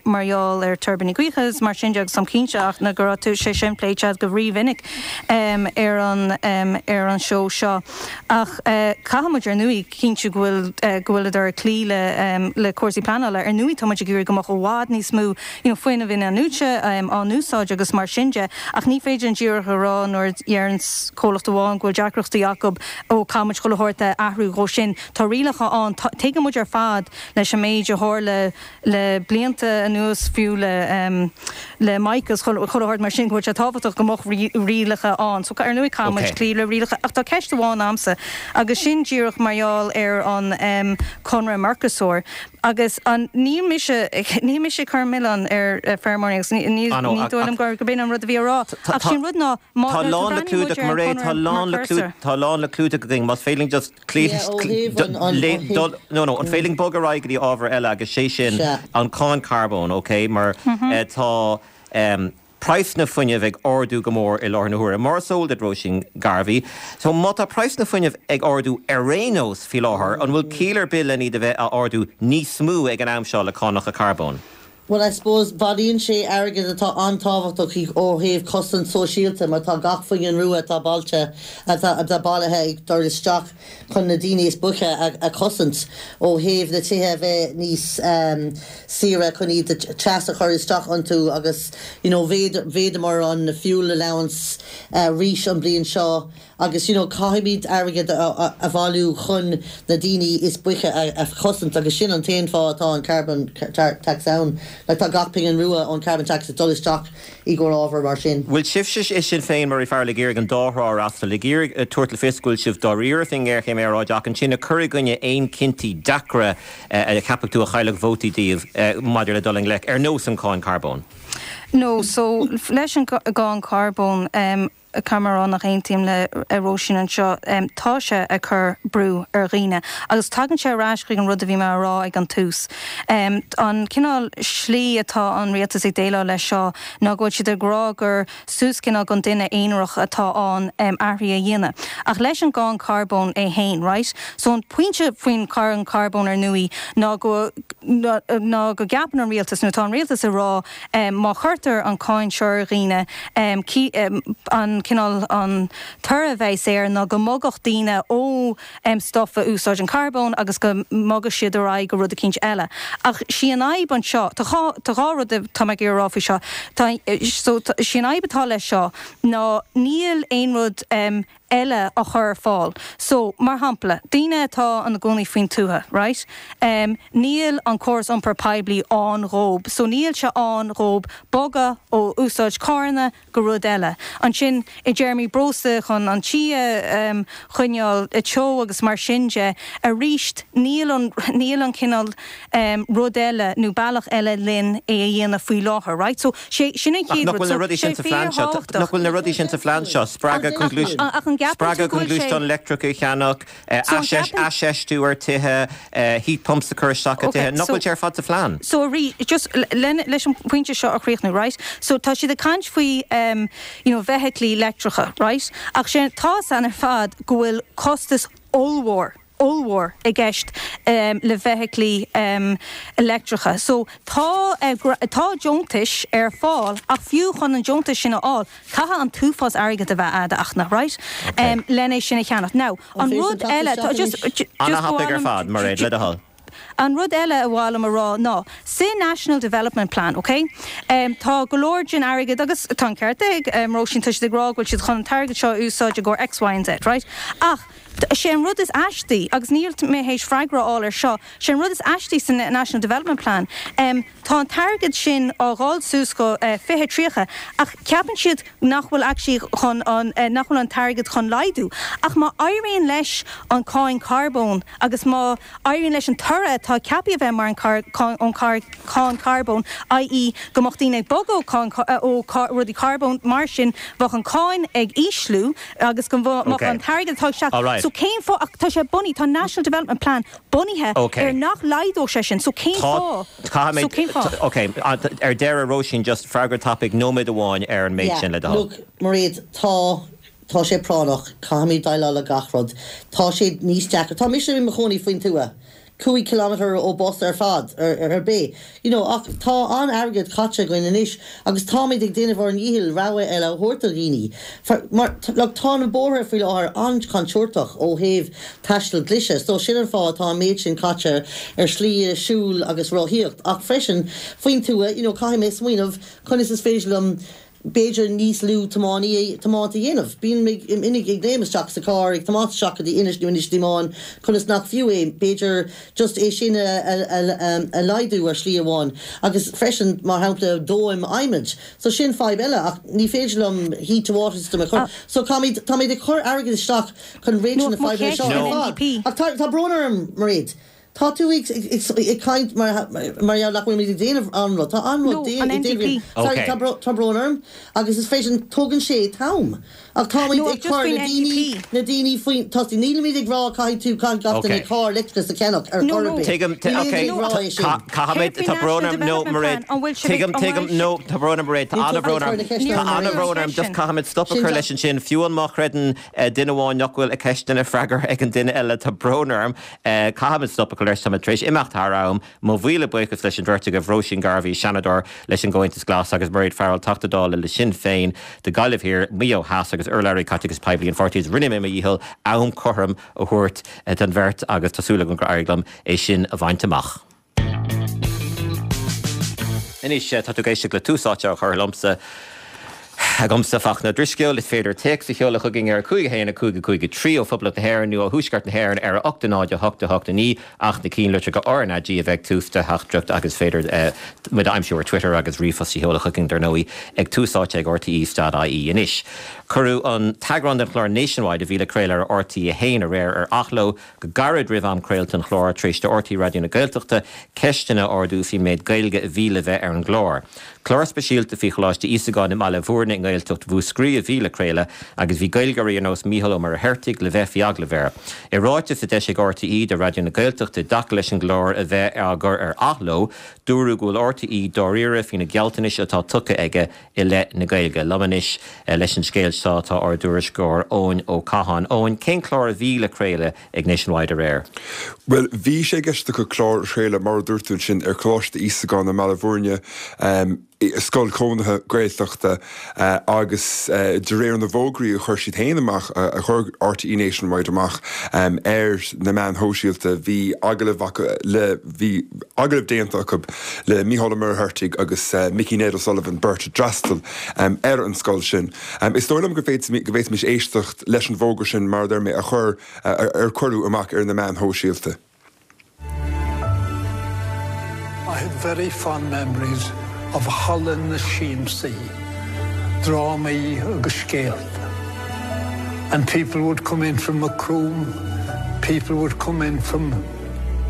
Speaker 5: mar gheall ar tuirbíní gaoithe agus mar sin de agus táim cinnte ach na go raibh sé sin pléite agat go rímhinic ar an ar an seó seo. Ach caithfidh muid ar ndóigh cinntiú go bhfuil go bhfuileadar ag cloí le le cúrsaí pleanála. Ar ndóigh tá muid ag iarraidh go mbeadh i bhfad níos mó you know fuinneamh in-athnuaite á n-úsáid agus mar sin de ach ní féidir linn díreach a rá nuair a dheireanns comhlacht amháin go bhfuil deacrachtaí acu ó caithfidh muid chuile shórt a athrú dhó sin. Tá rialacha ann. Tuigeann muid ar fad leis an méid a tharla le blianta anuas fiú le le Mike agus chuile shórt mar sin go bhfuil sé tábhachtach go mbeadh rialacha ann. So ar ndóigh caithfidh muid cloí le rialacha ach tá ceist amháin a'msa agus sin díreach mar gheall ar an conradh Mercosur agus an níl mise níl mise ag cur milleán ar feirmeoirí agus ní ní dóigh liom gurb in an rud a bhí á rá ach sin rud ná má
Speaker 1: Tá lán le
Speaker 5: nuair a bhreathnaíonn
Speaker 1: clúdach
Speaker 5: muid ar an
Speaker 1: Mairéad tá
Speaker 5: conradh
Speaker 1: lán le
Speaker 5: Mercosur.
Speaker 1: tá lán le clúdach againn más féidir linn just
Speaker 4: Yeah, ó thaobh an, an, ó thaobh.
Speaker 1: No, no, an féidir linn bogadh ar aghaidh go dtí ábhar eile agus sé sin
Speaker 4: Sea.
Speaker 1: an cáin carbóin, ok, mar tá praghsanna fuinnimh ag ardú go mór i láthair na huaire, mar is eol duit, Róisín Garvey. So má tá praghsanna fuinnimh ag ardú ar aon nós faoi láthair, an bhfuil ciall ar bith len iad a bheith á ardú níos mó ag an am seo le cánacha carbóin?
Speaker 4: Bhuel, I suppose, bailíonn sé airgead atá an-tábhachtach ó thaobh cosaint sóisialta mar tá gach phingin rua atá bailte, atá bailithe ag dul isteach chun na daoine is boichte a chosaint ó thaobh na tithe a bheith níos saoire chun iad teas a chur isteach iontu agus you know mhéadamar an fuel allowance arís an bliain seo. Agus you know caithfimid airgead a bhailiú chun na daoine is boichte a chosaint agus sin an t-aon fáth atá an carbon tax ann. Like tá gach pingin rua ón carbon tax ag dul isteach i gcomhair ábhar mar sin.
Speaker 1: Bhfuil sibhse i Sinn Féin, Mairéad Farrell, ag iarraidh an dá thrá a fhreastal, ag iarraidh tabhairt le fios go bhfuil sibh dáiríre faoin ngéarchéim aeráide ach ansin ag cur i gcoinne aon cinntí deacra a cheapfadh tú a chaillfeadh vótaí daoibh maidir le dul i ngleic, ar nós an cáin carbóin?
Speaker 5: No, so leis an gcáin carbóin, Caithfidh mé a rá nach aontaím le Róisín anseo. Tá sé ag cur brú ar dhaoine. Agus tagann sé ar ais chuig an rud a bhí mé a rá ag an tús. An cineál slí atá an rialtas ag déileáil leis seo ná go bhfuil siad ag rá gur suas cineál don duine aonarach atá ann athruithe a dhéanamh. Ach leis an gcáin carbóin é fhéin, right? So an pointe faoin cháin carbóin ar ndóigh ná go ná go gceapann an rialtas, nó tá an rialtas ag rá, Má chuirtear an cáin seo ar dhaoine, an cineál, an toradh a bheas air ná go mbogfadh daoine ó stuif a úsáideann carbón agus go mbogfadh siad ar aghaidh go rud eicínt eile. Ach sí an fhadhb anseo, tá dhá, tá dhá rud atá mé ag iarraidh a rá faoi seo. Tá, so, sí an fhadhb atá leis seo ná níl aon rud eile á chur ar fáil. So, mar shampla, daoine atá ina gcónaí faoin tuath, right, em, níl an córas iompair poiblí ann dhóib, so níl sé ann dhóib bogadh ó úsáid carranna go rud eile. Ansin, i dtéarmaí breosla chun an tí a, em, choinneáil teo agus mar sin de, aríst, níl an, níl an cineál, em, rud eile nó bealach eile linn é a dhéanamh faoi láthair, right? So, sé, sin an
Speaker 1: Ach
Speaker 5: chéad
Speaker 1: nach
Speaker 5: rud.
Speaker 1: bhfuil na
Speaker 5: So,
Speaker 1: rudaí
Speaker 5: sé
Speaker 1: sin sa phlean seo?
Speaker 5: fíorthábhachtach.
Speaker 1: Nach bhfuil na rudaí sin sa phlean seo? Spreagadh chun gluais.
Speaker 5: Ach an. gceapann tú
Speaker 1: Spreagadh
Speaker 5: go
Speaker 1: chun
Speaker 5: bhfuil sé.
Speaker 1: gluaisteán leictreach a cheannach,
Speaker 5: So an gceapann.
Speaker 1: aisfheistiú ar tithe, heat pumps a chur isteach i
Speaker 5: Ok,
Speaker 1: dtithe, nach
Speaker 5: so.
Speaker 1: bhfuil sé ar fad sa phlean?
Speaker 5: So arís, just le, leis an pointe seo a chríochnú, right? So tá siad ag caint faoi um, you know, feithiclí leictreacha, right? Ach sé, tá a fhios againn ar fad go bhfuil costas ollmhór, ollmhór i gceist um, le feithiclí um, leictreacha. So tá, uh, tá deontais ar fáil ach fiú chun an deontas sin a fháil, caithfidh an t-uafás airgid a bheith a'd ach, right? Um, len é sin a cheannach. Now,
Speaker 4: An
Speaker 5: an
Speaker 4: féidir
Speaker 5: rud
Speaker 4: teacht
Speaker 5: eile,
Speaker 4: isteach
Speaker 5: tá, just,
Speaker 4: anois?
Speaker 5: just ba mhaith
Speaker 1: An-thapaidh ar
Speaker 5: liom,
Speaker 1: fad, Mairéad, le do thoil.
Speaker 5: An rud eile a mhaith liom a rá ná, sa National Development Plan, ok, tá go leor den airgead, agus tá an ceart ag Róisín, tá siad ag rá go bhfuil siad chun an t-airgead seo a úsáid i gcomhair X, Y and Z, right? Ach sé an rud is aistí, agus níl mé théis freagra a fháil ar seo, sé an rud is aistí sa National Development Plan, tá an t-airgead sin á dháil suas go 2030 ach ceapann siad nach bhfuil actually chun an, nach bhfuil an t-airgead chun laghdú. Ach má éiríonn leis an cáin carbóin agus má éiríonn leis an toradh atá ceaptha a bheith mar an ón cáin carbóin, i.e. go mbeadh daoine ag bogadh ó ó rudaí carbóin, mar sin bheadh an cáin ag ísliú agus go mbeadh an t-airgead atá ag teacht. So cén fáth, ach tá sé bunaithe, tá an National Development Plan bunaithe ar nach laghdódh sé sin, so cén fáth?
Speaker 1: Caithfidh
Speaker 5: So cén fáth?
Speaker 1: Ok, ar deireadh, Róisín, just freagra tapaidh, nóiméad amháin ar an méid sin le do
Speaker 4: Yeah,
Speaker 1: thoil.
Speaker 4: look, Mairéad, tá, tá sé práinneach, caithfimid déileáil le gach rud. Tá sé níos deacra, tá mise i mo chónaí faoin tuath, 5 kilometre ó bus ar fad, ar, ar bith, you know, ach tá an-airgead caite againn anois agus táimid ag déanamh ár ndícheall rogha eile a thabhairt do dhaoine. Mar, look, tá na bóithre faoi láthair an-chontúirteach ó thaobh taisteal glaise, so sin an fáth atá an méid sin caite ar shlí siúil agus rothaíocht. Ach freisin, faoin tuath, you know, caithfidh mé smaoineamh conas is féidir liom b'fhéidir níos lú tiománaí, tiomáint a dhéanamh. Bím ag ag léim isteach sa charr ag tiomáint isteach go dtí Inis nó Inis Díomáin conas nach fiú é, b'fhéidir just é sin a a laghdú ar shlí amháin. Agus freisin, mar shampla, dóim adhmaid. So sin fadhb eile ach ní féidir liom heat to water system a chur. So caithfimid, táimid ag cur airgead isteach chun réiteach
Speaker 5: No,
Speaker 4: na
Speaker 5: mo
Speaker 4: fadhbanna
Speaker 5: cheist
Speaker 4: seo
Speaker 5: ar
Speaker 4: ar fad.
Speaker 5: NDP.
Speaker 4: Ach tá, tá brón orm, Mairéad. Tá tú ag ag caint mar mar gheall nach bhfuilimid ag déanamh an-rud. Tá an-rud
Speaker 5: No,
Speaker 4: déanta
Speaker 5: an NDP.
Speaker 4: Sorry,
Speaker 1: Ok.
Speaker 4: tá bró tá brón orm agus is freisin tógann sé t-am. Ach táimid
Speaker 5: No,
Speaker 4: ag
Speaker 5: just
Speaker 4: cur
Speaker 5: faoin
Speaker 4: na daoine
Speaker 5: NDP.
Speaker 4: na daoine faoin tosaigh. Nílimid ag rá caithfidh tú caithfidh gach duine
Speaker 1: Ok.
Speaker 4: carr leictreachais a cheannach ar
Speaker 5: No,
Speaker 4: chor ar
Speaker 5: no.
Speaker 4: bith.
Speaker 1: Tuigim, tu-
Speaker 4: Nílimid
Speaker 1: ok,
Speaker 4: ag rá é sin.
Speaker 1: ca- caithfimid,
Speaker 5: Céard faoin
Speaker 1: tá brón
Speaker 5: National
Speaker 1: orm, no,
Speaker 5: Development
Speaker 1: Mairéad,
Speaker 5: Plan? An bhfuil sibh ag,
Speaker 1: tuigim,
Speaker 5: an
Speaker 1: tuigim,
Speaker 5: bhfuil
Speaker 1: no, tá brón orm, Mairéad, tá
Speaker 4: Níl tú
Speaker 1: an-bhrón
Speaker 4: ag cur
Speaker 1: orm,
Speaker 4: na ceiste
Speaker 5: Níor
Speaker 1: tá
Speaker 4: orm,
Speaker 5: cuireadh
Speaker 4: Mairéad.
Speaker 5: an
Speaker 1: an-bhrón orm,
Speaker 5: cheist
Speaker 1: just
Speaker 5: sin.
Speaker 1: caithfimid stop a
Speaker 4: Sin
Speaker 1: chur
Speaker 4: ja-
Speaker 1: leis ansin, fiú an má chreideann eh, duine amháin nach bhfuil a ceisteanna freagartha ag an duine eile, tá brón orm. Caithfimid stop a chur leis, táimid tar éis imeacht thar am. Mo mhíle buíochas leis an bheirt agaibh, Róisín Garvey, Seanadóir leis an gComhaontas Glas agus Mairéad Farrell, Teachta Dála le Sinn Féin do Ghaillimh Thiar, Maigh Eo Theas agus urlabhraí Caiteachais Poiblí an pháirtí. Rinne mé mo dhícheall am cothrom a thabhairt don bheirt agus tá súil agam gur éirigh liom é sin a bhaint amach. Anois, tá tú ag éisteacht le Tús Áite á chur liomsa, agamsa, Fachtna Ó Drisceoil. Is féidir téacs a sheoladh chugainn ar 5 1 5 5 3 ó Phoblacht na hÉireann nó ó Thuaisceart na hÉireann ar 8 0 8 8 9 ach na cinnlitreacha RnaG a bheith ag tús do theachtaireacht agus is féidir muid a aimsiú ar Twitter agus ríomhphost a sheoladh chugainn, dar ndóigh, ag Tús Áite ag RTÉ.ie. Anois, cuireadh an t-eagrán den chlár Nationwide a bhí le craoladh ar RTÉ 1 aréir ar athló. Go gairid roimh am craolta an chláir, tar éis do RTÉ Raidió na Gaeltachta ceisteanna a ardú faoin méid Gaeilge a bhí le bheith ar an gclár. Clár speisialta faoi Choláiste Íosagáin i mBaile Bhúirne i nGaeltacht Mhúscraí a bhí le craoladh agus bhí Gaeilgeoirí ar nós Mícheál Ó Muircheartaigh le bheith faoi agallamh air. I ráiteas a d'eisigh RTÉ do Raidió na Gaeltachta i dtaca leis an gclár a bheith á gcur ar athló, dúradh go bhfuil RTÉ dáiríre faoi na gealltanais atá tugtha aige i leith na Gaeilge. Liom anois leis an scéal seo tá ár dtuairisceoir Eoin Ó Catháin. Eoin, cén clár a bhí le craoladh ag Nationwide aréir?
Speaker 6: Bhuel, bhí sé i gceist acu clár a chraoladh, mar a dúirt tú ansin, ar Choláiste Íosagáin i mBaile Bhúirne, scoil chónaithe Gaeltachta, agus de réir na bhfógraí a chuir siad féin amach, a chuir RTÉ Nationwide amach ar na meáin shóisialta, bhí agallamh acu le, bhí agallamh déanta acu le Mícheál Ó Muircheartaigh agus Mickey Ned O'Sullivan, beirt a d'fhreastail ar an scoil sin. Is dóigh liom go bhféadfaimis éisteacht leis an bhfógra sin, mar a deir mé, a chuir, ar cuireadh amach ar na meáin shóisialta.
Speaker 7: I have very fond memories of Halla na Siamsaí, drámaí agus scéalta. And people would come in from Macroom, people would come in from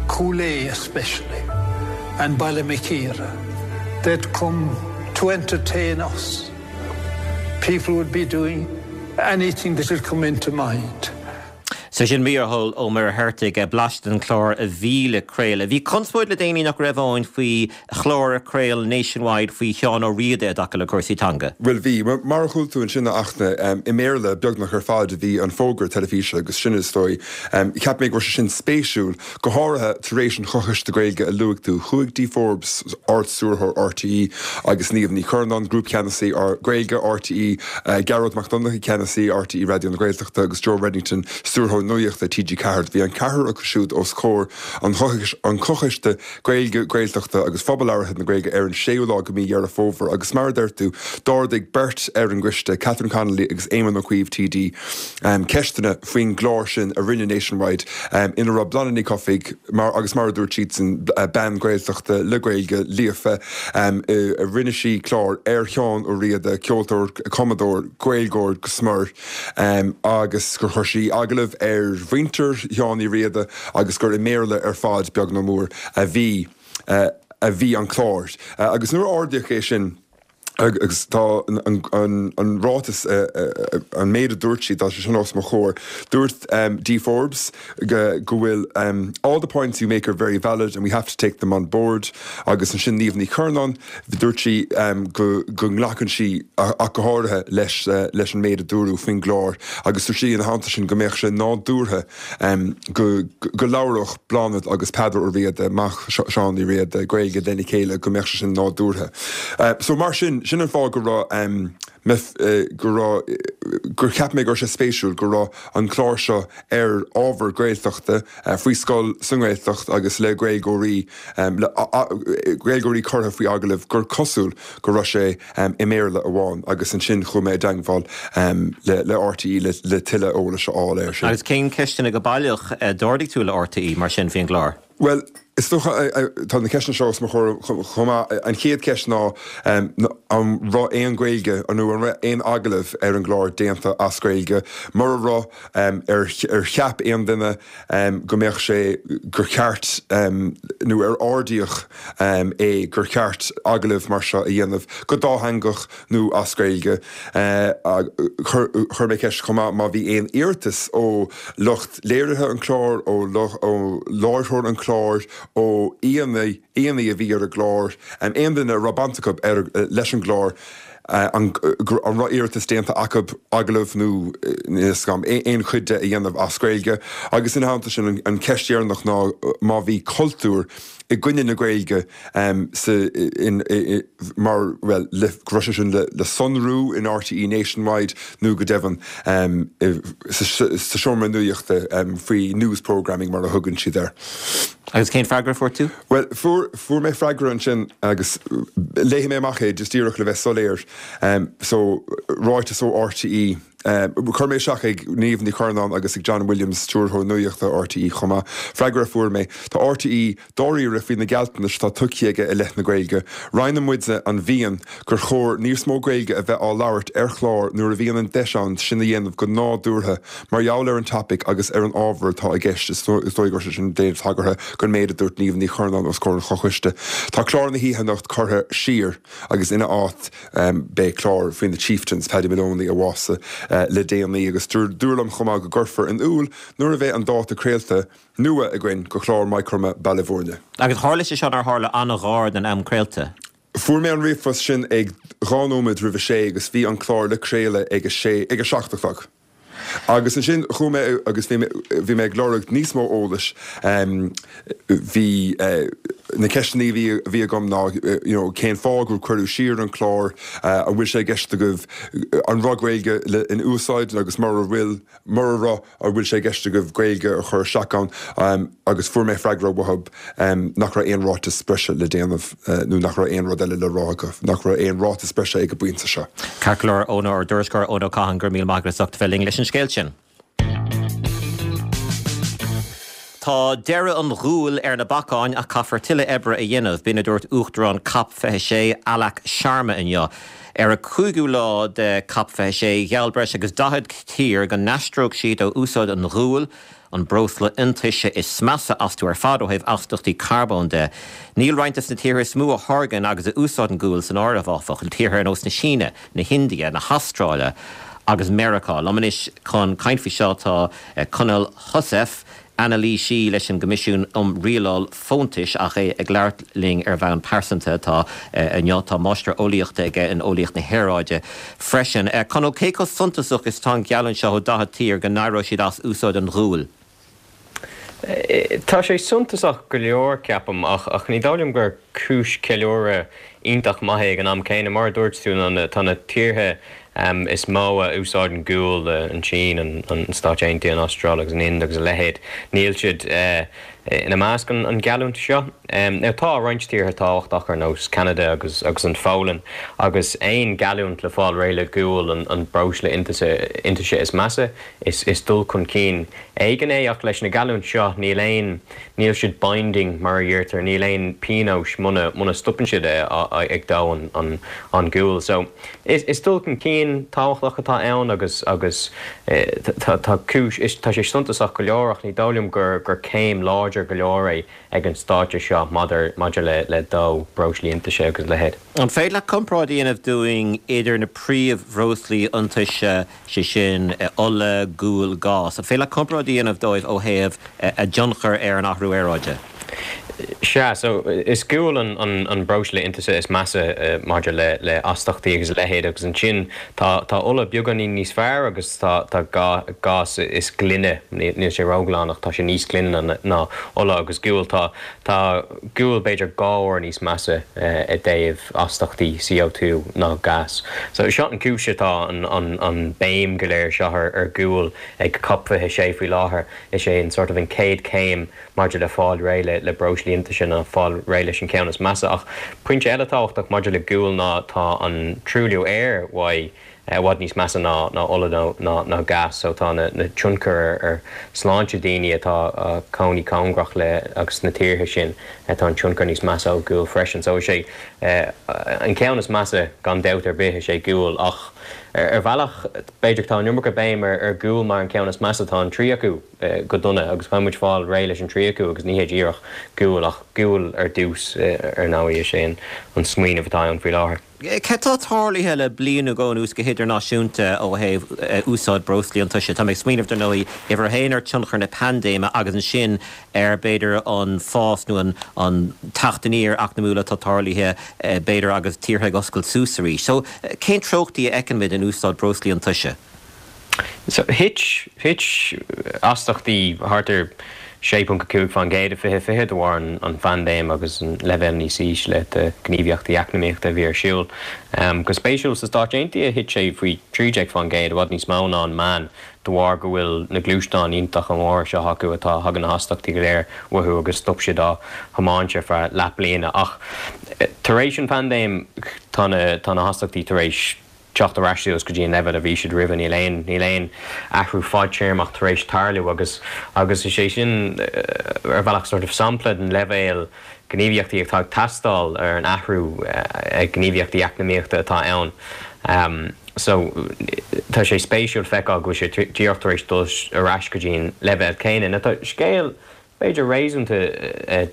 Speaker 7: Cúil Aodha especially, and Baile Mhic Íre. They'd come to entertain us. People would be doing. anything that'll come into mind.
Speaker 1: So sin Mícheál Ó Muircheartaigh, blaiseadh den chlár a bhí le craoladh. Bhí conspóid le déanaí nach raibh ann faoi chlár a chraol Nationwide faoi Sheán Ó Riada i dtaca le cúrsaí teanga.
Speaker 6: Bhuel bhí. Mar a chuala tú ansin a Fhachtna, i mBéarla beagnach ar fad a bhí an fógra teilifíse agus sin is dóigh. Cheap mé go raibh sé sin spéisiúil, go háirithe tar éis an Choiste Gaeilge a luaigh tú. Chuaigh Dee Forbes, Ard-Stiúrthóir RTÉ, agus Niamh Ní Churnáin, Grúpcheannasaí Gaeilge RTÉ, Gearóid Mac Donncha, Ceannasaí RTÉ Raidió na Gaeltachta, agus Joe Reddington, Stiúrthóir Nuachta TG4. Bhí an ceathrar acu siúd os comhair an Choiste Gaeilge, Gaeltachta agus Phobal Labhartha na Gaeilge ar an séú lá de mhí Dheireadh Fómhair agus mar a deir tú, d'ardaigh beirt ar an gcoiste, Catherine Connolly agus Éamon Ó Cuív TD, ceisteanna faoin gclár sin a rinne Nationwide ina raibh Bláthnaid Ní Chofaigh mar agus mar a dúirt siadsan, bean Ghaeltachta le Gaeilge líofa, rinne sí clár ar Sheán Ó Riada, ceoltóir, cumadóir, Gaeilgeoir go smior agus gur chuir sí agallamh ar mhuintir Sheáin Uí Riada agus gur i mBéarla ar fad, beag nó mór, a bhí a bhí an clár. Agus nuair a ardaíodh é sin, agus tá an ráiteas, an méid a dúirt siad, tá sé sin os mo chomhair, dúirt Dee Forbes go bhfuil all the points you make are very valid and we have to take them on board agus ansin Niamh Ní Churnáin, dúirt sí go nglacann sí ach go háirithe leis leis an méid a dúradh faoin gclár agus dúirt sí ina theannta sin go mbeadh sé nádúrtha go go labhródh Bláthnaid agus Peadar Ó Riada, mac Sheáin Uí Riada, Gaeilge lena chéile, go mbeadh sé sin nádúrtha. So mar sin, sin an fáth go raibh me, go raibh, gur cheap mé go raibh sé spéisiúil go raibh an clár seo ar ábhar Gaeltachta faoi scoil sa nGaeltacht agus le Gaeilgeoirí, le Gaeilgeoirí curtha faoi agallamh gur cosúil go raibh sé i mBéarla amháin agus ansin chuaigh mé i dteangmháil le RTÉ le tuilleadh eolais a fháil air sin.
Speaker 1: Agus cén ceisteanna go baileach a d'ardaigh tú le RTÉ mar sin faoin gclár?
Speaker 6: Bhuel, is dócha, tá na ceisteanna seo os mo chomhair chomh maith. An chéad cheist ná an raibh aon Ghaeilge nó an raibh aon agallamh ar an gclár déanta as Gaeilge? Mura raibh, ar cheap aon duine go mbeadh sé, gur cheart nó ar ardaíodh é gur cheart agallamh mar seo a dhéanamh go dátheangach nó as Gaeilge. Chuir mé ceist chomh maith má bhí aon iarratas ó lucht léirithe an chláir, ó láithreoir an chláir, ó aíonna a bhí ar an gclár, aon duine a raibh baint acu leis an gclár, an raibh iarratas déanta acu agallamh nó aon chuid de a dhéanamh as Gaeilge. Agus ina theannta sin, an cheist dheireanach ná má bhí cultúr i gcoinne na Gaeilge sa, in, mar, bhuel, le, go raibh sé sin le, le sonrú in RTÉ Nationwide nó go deimhin sa, sa seomra nuachta faoi news programming mar a thugann siad air.
Speaker 1: Agus cén freagra a fuair tú?
Speaker 6: Bhuel, fuair, fuair mé freagra ansin agus léifidh mé amach é just díreach le bheith soiléir. So, ráiteas ó RTÉ, chuir mé isteach ag Niamh Ní Churnáin agus ag John Williams, Stiúrthóir Nuachta RTÉ chomh maith. Freagra a fuair mé, Tá RTÉ dáiríre faoi na gealltanais atá tugtha aige i leith na Gaeilge. Roinneann muidne an mhian gur chóir níos mó Gaeilge a bheith á labhairt ar chláir nuair a bhíonn an deis ann sin a dhéanamh go nádúrtha mar gheall ar an topaic agus ar an ábhar atá i gceist. Is dóigh go raibh sé sin ag déanamh tagartha don méid a dúirt Niamh Ní Churnáin os comhair an Choiste. Tá clár na hoíche anocht curtha siar agus ina áit beidh clár faoi na Chieftains, Paddy Moloney a bhásaigh le déanaí agus dúradh liom chomh maith go gcuirfear in iúl nuair a bheidh an dáta craolta nua againn do chlár Maigh Chromtha Baile Bhúirne.
Speaker 1: Agus tharla sé seo nár tharla an-ghar don am craolta.
Speaker 6: Fuair mé an ríomhphost sin ag 2 nóiméad roimh a sé agus bhí an clár le craoladh ag a sé, ag a 7 a chlog. Agus ansin chuaigh mé agus bhí mé, bhí mé ag lorg níos mó eolais. Bhí, na ceisteanna a bhí, a bhí agam ná you know cén fáth gur cuireadh siar an clár, an bhfuil sé i gceist agaibh, an raibh Gaeilge le, in úsáid agus mura bhfuil, Mura raibh, an bhfuil sé i gceist agaibh Gaeilge a chur isteach ann? Agus fuair mé freagra uathu nach raibh aon ráiteas breise le déanamh nó nach raibh aon rud eile le rá acu, nach raibh aon ráiteas breise ag an bpointe seo.
Speaker 1: Ceart go leor, Eoin, ár dtuairisceoir Eoin Ó Catháin, go raibh míle maith agat as ucht a bheith linn leis an scéal sin. Tá deireadh an ghuail ar na bacáin ach caithfear tuilleadh oibre a dhéanamh, b'in a dúirt Uachtarán Cop 26, Alok Sharma inniu. Ar an cúigiú lá de Cop 26, gheall breis agus 40 tír go n-aistreodh siad ó úsáid an ghuail, an breosla iontaise is measa astu ar fad ó thaobh astaíochtaí carbóin de. Níl roinnt de na tíortha is mó a tháirgeann agus a úsáideann gual san áireamh, áfach, tíortha ar nós na Síne, na hIndia, na hAstráile. agus Meiriceá. Liom anois chun caint faoi seo tá Conall Heussaff, anailísí leis an gCoimisiún um Rialáil Fóntais, ach é ag labhairt linn ar bhonn pearsanta atá inniu. Tá Máistir Eolaíochta aige in Eolaíocht na hAeráide freisin. Conall, cé chomh suntasach is atá an gheallúint seo ó 40 tír go n-éireoidh siad as úsáid an ghuail?
Speaker 8: Tá sé suntasach go leor, ceapaim, ach ní dóigh liom gur cúis ceiliúradh iontach maith é ag an am céanna. Mar a dúirt tú, tá na tíortha is mó a úsáideann gual, an tSín, an Stáit Aontaithe, an Astráil agus an Ind agus a leithéid, níl siad ina measc an gheallúint seo. Now tá roinnt tíortha tábhachtach ar nós Ceanada agus agus an Pholainn agus aon gheallúint le fáil réidh le gual, an breosla iontaise is measa, is dul chun cinn éigin é ach leis na geallúint seo níl aon, níl siad binding mar a dheirtear, níl aon pionóis muna, muna stopann siad ag dó an, an gual. So is, is dul chun cinn tábhachtach atá ann agus, agus tá, tá cúis, is, tá sé suntasach go leor ach ní dóigh liom gur, gur céim láidir go leor é ag an stáitse seo maidir, maidir le, le dó breoslaí iontaise agus a leithéid.
Speaker 1: An féidir leat comparáid a dhéanamh dúinn idir na príomhbhreoslaí iontaise sé sin, ola, gual, gás. An féidir leat comparáid a dhéanamh dóibh ó thaobh a dtionchar ar an athrú aeráide?
Speaker 8: Sea, so is gual an breosla iontaise is measa maidir le astachtaí agus a leithéid agus ansin tá tá ola beagáinín níos fearr agus tá tá gás is glaine, níl sé róghlan ach tá sé níos glaine ná ola agus gual. Tá tá gual b'fhéidir 2 uair níos measa i dtaobh astachtaí CO2 ná gás. So seo an cúis atá an béim go léir seo ar ghual ag Cop 26 faoi láthair. Is é an sort of an chéad chéim maidir le fáil réidh le breoslaí iontaise ná fáil réidh leis an cheann is measa. Ach pointe eile tábhachtach maidir le gual ná tá an truailliú aeir uaidh i bhfad níos measa ná ná ola nó ná ná gás so tá na na tionchair ar ar sláinte daoine atá ag cónaí cóngarach le agus sna tíortha sin tá an tionchar níos measa ó ghual freisin. So is é an ceann is measa gan dabht ar bith is é gual ach ar bhealach b'fhéidir tá an iomarca béim ar ar ghual mar an ceann is measa tá an trí acu go dona agus caithfidh muid fáil réidh leis an trí acu agus ní hé díreach gual ach gual ar dtús ar ndóigh is é an smaoineamh atá ann faoi láthair.
Speaker 1: Cad tá tarlaithe le bliain nó dhó anuas go hidirnáisiúnta ó thaobh úsáid breoslaí iontaise? Tá mé ag smaoineamh, dar ndóigh, uimhir a haon ar tionchar na paindéime agus ansin ar, b'fhéidir, an fás nó an teacht aniar eacnamúil atá tarlaithe, b'fhéidir, agus tíortha ag oscailt suas arís. So, cén treochtaí a fheiceann muid in úsáid breoslaí iontaise?
Speaker 8: So, thit, thit astachtaí thart ar 6.5% i 2020 de bharr an phaindéim agus an leibhéal níos ísle de ghníomhaíochtaí eacnamaíochta a bhí ar siúl. Go spéisiúil, sna Stáit Aontaithe thit sé faoi 13%, i bhfad níos mó ná an meán, de bharr go bhfuil na gluaisteáin iontacha móra seo acu atá, thagann na hastachtaí go léir uathu agus stop siad á thiomáint ar feadh leath bliana. Ach tar éis an phaindéim tá na, tá na hastachtaí tar éis teacht ar ais suas go dtí an leibhéal a bhí siad roimhe. Níl aon, níl aon athrú fadtéarmach tar éis tarlú agus, agus is é sin ar bhealach sort of sampla den leibhéal gníomhaíochtaí atá ag teastáil ar an athrú gníomhaíochtaí eacnamaíochta atá ann. So tá sé spéisiúil feiceáil go bhfuil sé díreach tar éis dul ar ais go dtí an leibhéal céanna. Now tá scéal b'fhéidir réasúnta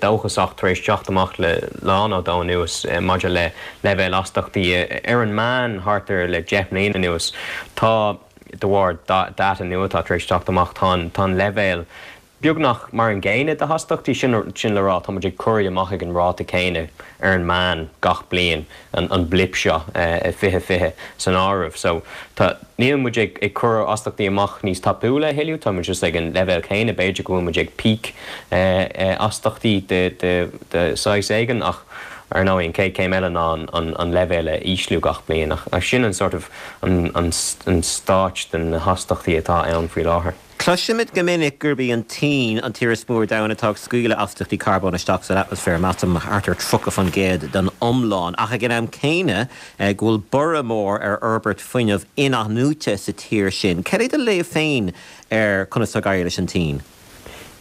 Speaker 8: dóchasach tar éis teacht amach le lá nó dó anuas maidir le leibhéal astachtaí ar an meán thart ar le 10 mbliana anuas. Tá, de bharr data nua atá tar éis teacht amach, tá an tá an leibhéal beagnach mar an gcéanna de hastachtaí, sin sin le rá tá muid ag cur amach ag an ráta céanna ar an meán gach bliain. an blip seo i 2020 san áireamh. So tá, níl muid ag ag cur astachtaí amach níos tapúla a thuilleadh, tá muid just ag an leibhéal céanna, b'fhéidir go bhfuil muid ag peak astachtaí de de de saghas éigin ach ar ndóigh an chéad chéim eile ná an an leibhéal a ísliú gach bliain ach sin an sort of an an an stáit de na hastachtaí atá ann faoi láthair.
Speaker 1: Cloisimid go minic gurb í an tSín an tír is mó ar domhan atá ag scaoileadh astachtaí carbóin isteach san atmaisféar, measaim thart ar 30% den iomlán, ach ag an am céanna go bhfuil borradh mór ar fhorbairt fuinneamh in-athnuaite sa tír sin. Cad é do léamh féin ar conas tá ag éirí leis an tSín?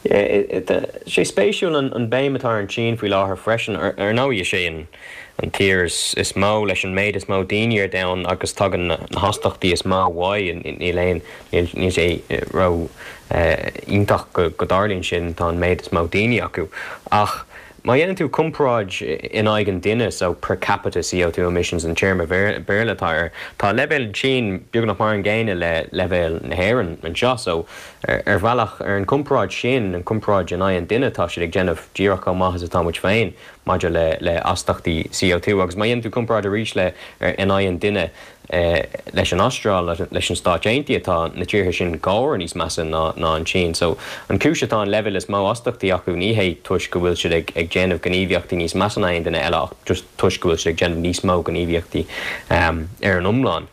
Speaker 8: Tá sé spéisiúil an béim atá ar an tSín faoi láthair freisin. Ar ndóigh is é an an tír is mó leis an méid is mó daoine ar domhan agus tagann na hastachtaí is mó uaidh. Níl aon, níl sé ró iontach go dtarlaíonn sin, tá an méid is mó daoine acu. Ach. Má dhéanann tú comparáid in aghaidh an duine, so per capita CO2 emissions an téarma Béarla atá air, tá leibhéal an tSín beagnach mar an gcéanna le leibhéal na hÉireann anseo. So ar bhealach, ar an gcomparáid sin, an comparáid in aghaidh an duine, tá siad ag déanamh díreach chomh maith is atá muid féin maidir le le astachtaí CO2. Agus má dhéanann tú comparáid arís le in aghaidh an duine, leis an Astráil, leis na Stáit Aontaithe, tá na tíortha sin dhá uair níos measa ná an tSín. So, an chúis atá an leibhéal is mó astachtaí acu ní hé toisc go bhfuil siad ag déanamh gníomhaíochtaí níos measa ná aon duine eile ach just toisc go bhfuil siad ag déanamh níos mó gníomhaíochtaí ar an iomlán.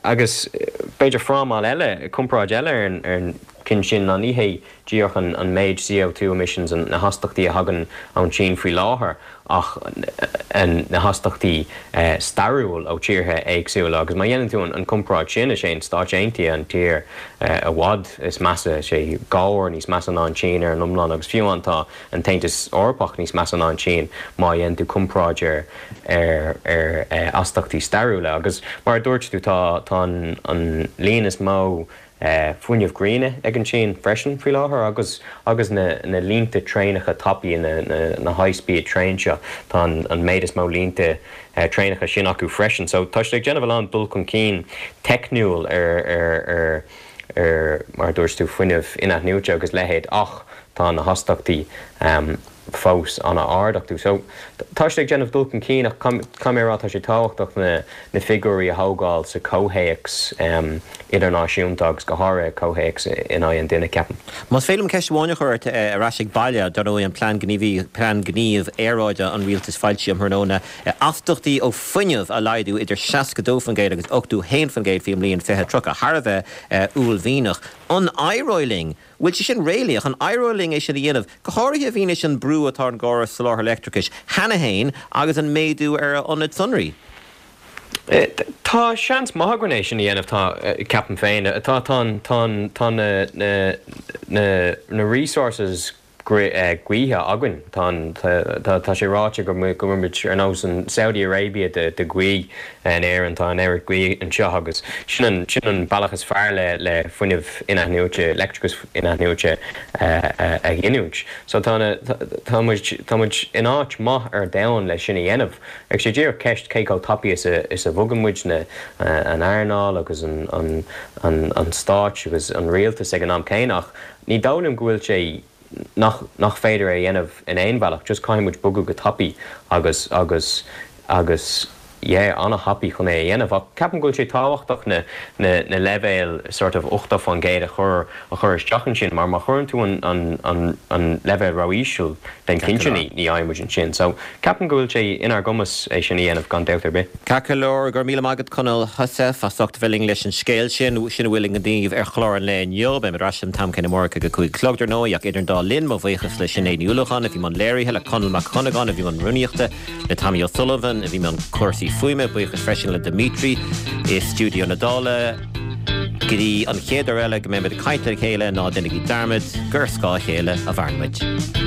Speaker 8: Agus b'fhéidir frámáil eile, comparáid eile ar an gceann sin ná ní hé díreach an méid CO2 emissions, na hastachtaí a thagann ón tSín faoi láthair ach na hastachtaí stairiúil ó tíortha éagsúla agus má dhéanann tú an comparáid sin, is é an Stáit Aontaithe an tír i bhfad is measa, is é dhá uair níos measa ná an tSín ar an iomlán agus fiú amháin tá an tAontas Eorpach níos measa ná an tSín má dhéanann tú comparáid ar ar astachtaí stairiúla agus mar a dúirt tú tá tá an líon is mó fuinneamh gréine ag an tSín freisin faoi láthair agus agus na na línte traenacha tapaí, na na high speed train seo, tá an an méid is mó línte traenacha sin acu freisin. So tá siad ag déanamh a lán dul chun cinn teicniúil ar ar ar ar mar a dúirt tú fuinneamh inathnuaite agus leithéid ach tá na hastachtaí fós an-ard acu. So, tá siad ag déanamh dul chun cinn ach caithfidh mé a rá tá sé tábhachtach na na figiúirí a thógáil sa chomhthéacs idirnáisiúnta agus go háirithe comhthéacs in aghaidh an duine, ceapaim.
Speaker 1: Más féidir liom ceist amháin a chur ort ar ais ag baile, dar ndóigh an plean gníomh plean gníomh aeráide an rialtais foilsithe um thráthnóna, astachtaí ó fuinneamh a laghdú idir 62% agus 81% faoin mbliain 2030, thar a bheith uaillmhianach. An éireoidh linn? Bhfuil sé sin réalaíoch? An éireoidh linn é sin a dhéanamh, go háirithe i bhfianaise an brú atá ar an gcóras soláthair leictreachais cheana féin agus an méadú ar ionaid sonraí?
Speaker 8: Tá seans maith againn é sin a dhéanamh, tá, ceapaim féin. Tá, tá an, tá an, tá na, na, na, na resources gaoithe againn. Tá an, tá, tá sé ráite go, go bhfuil muid ar nós an Saudi Arabia de, de ghaoth. In Éirinn tá an oiread gaoth anseo agus sin an sin an bealach is fearr le le fuinneamh inathnuaite, leictreachas inathnuaite a ghiniúint. So tá na tá muid tá muid in áit maith ar domhan le sin a dhéanamh. Ach sé díreach ceist cé chomh tapaidh is a is a bhogann muid na an earnáil agus an an an an stáit agus an rialtas ag an am céanna ach ní dóigh liom go bhfuil sé nach nach féidir é a dhéanamh in aon bhealach, just caithfidh muid bogadh go tapaidh agus agus agus yeah ana-thapaidh chun é a dhéanamh ach ceapaim go bhfuil sé tábhachtach na na na leibhéil sort of 80% a chur a chur isteach ansin mar má chuireann tú an an an an leibhéal ró-íseal then cinnte ní ní fhaighidh muid ansin so ceapaim go bhfuil sé inár gcumas é sin a dhéanamh gan dabht ar bith.
Speaker 1: Ceart go leor, go raibh míle maith agat Conall Heussaff as ucht a bheith linn leis an scéal sin. Sin a bhfuil i nGníomh ar chlár an lae inniu. Beimid ar ais an t-am céanna amárach ag a 5 a chlog dar ndóigh ach idir an dá linn, mo bhuíochas le Sinéad Ní Uallacháin a bhí i mbun léirithe, le Conall Mac Dhonnagáin a bhí i mbun rúnaíochta, le Tommy O'Sullivan a bhí i mbun cúrsaí fuaime, buíochas freisin le Dimitri i stiúideo na Dála. Go dtí an chéad uair eile go mbeimid ag caint le chéile, ná déanaigí dearmad gur ar scáth a chéile a mhaireann muid.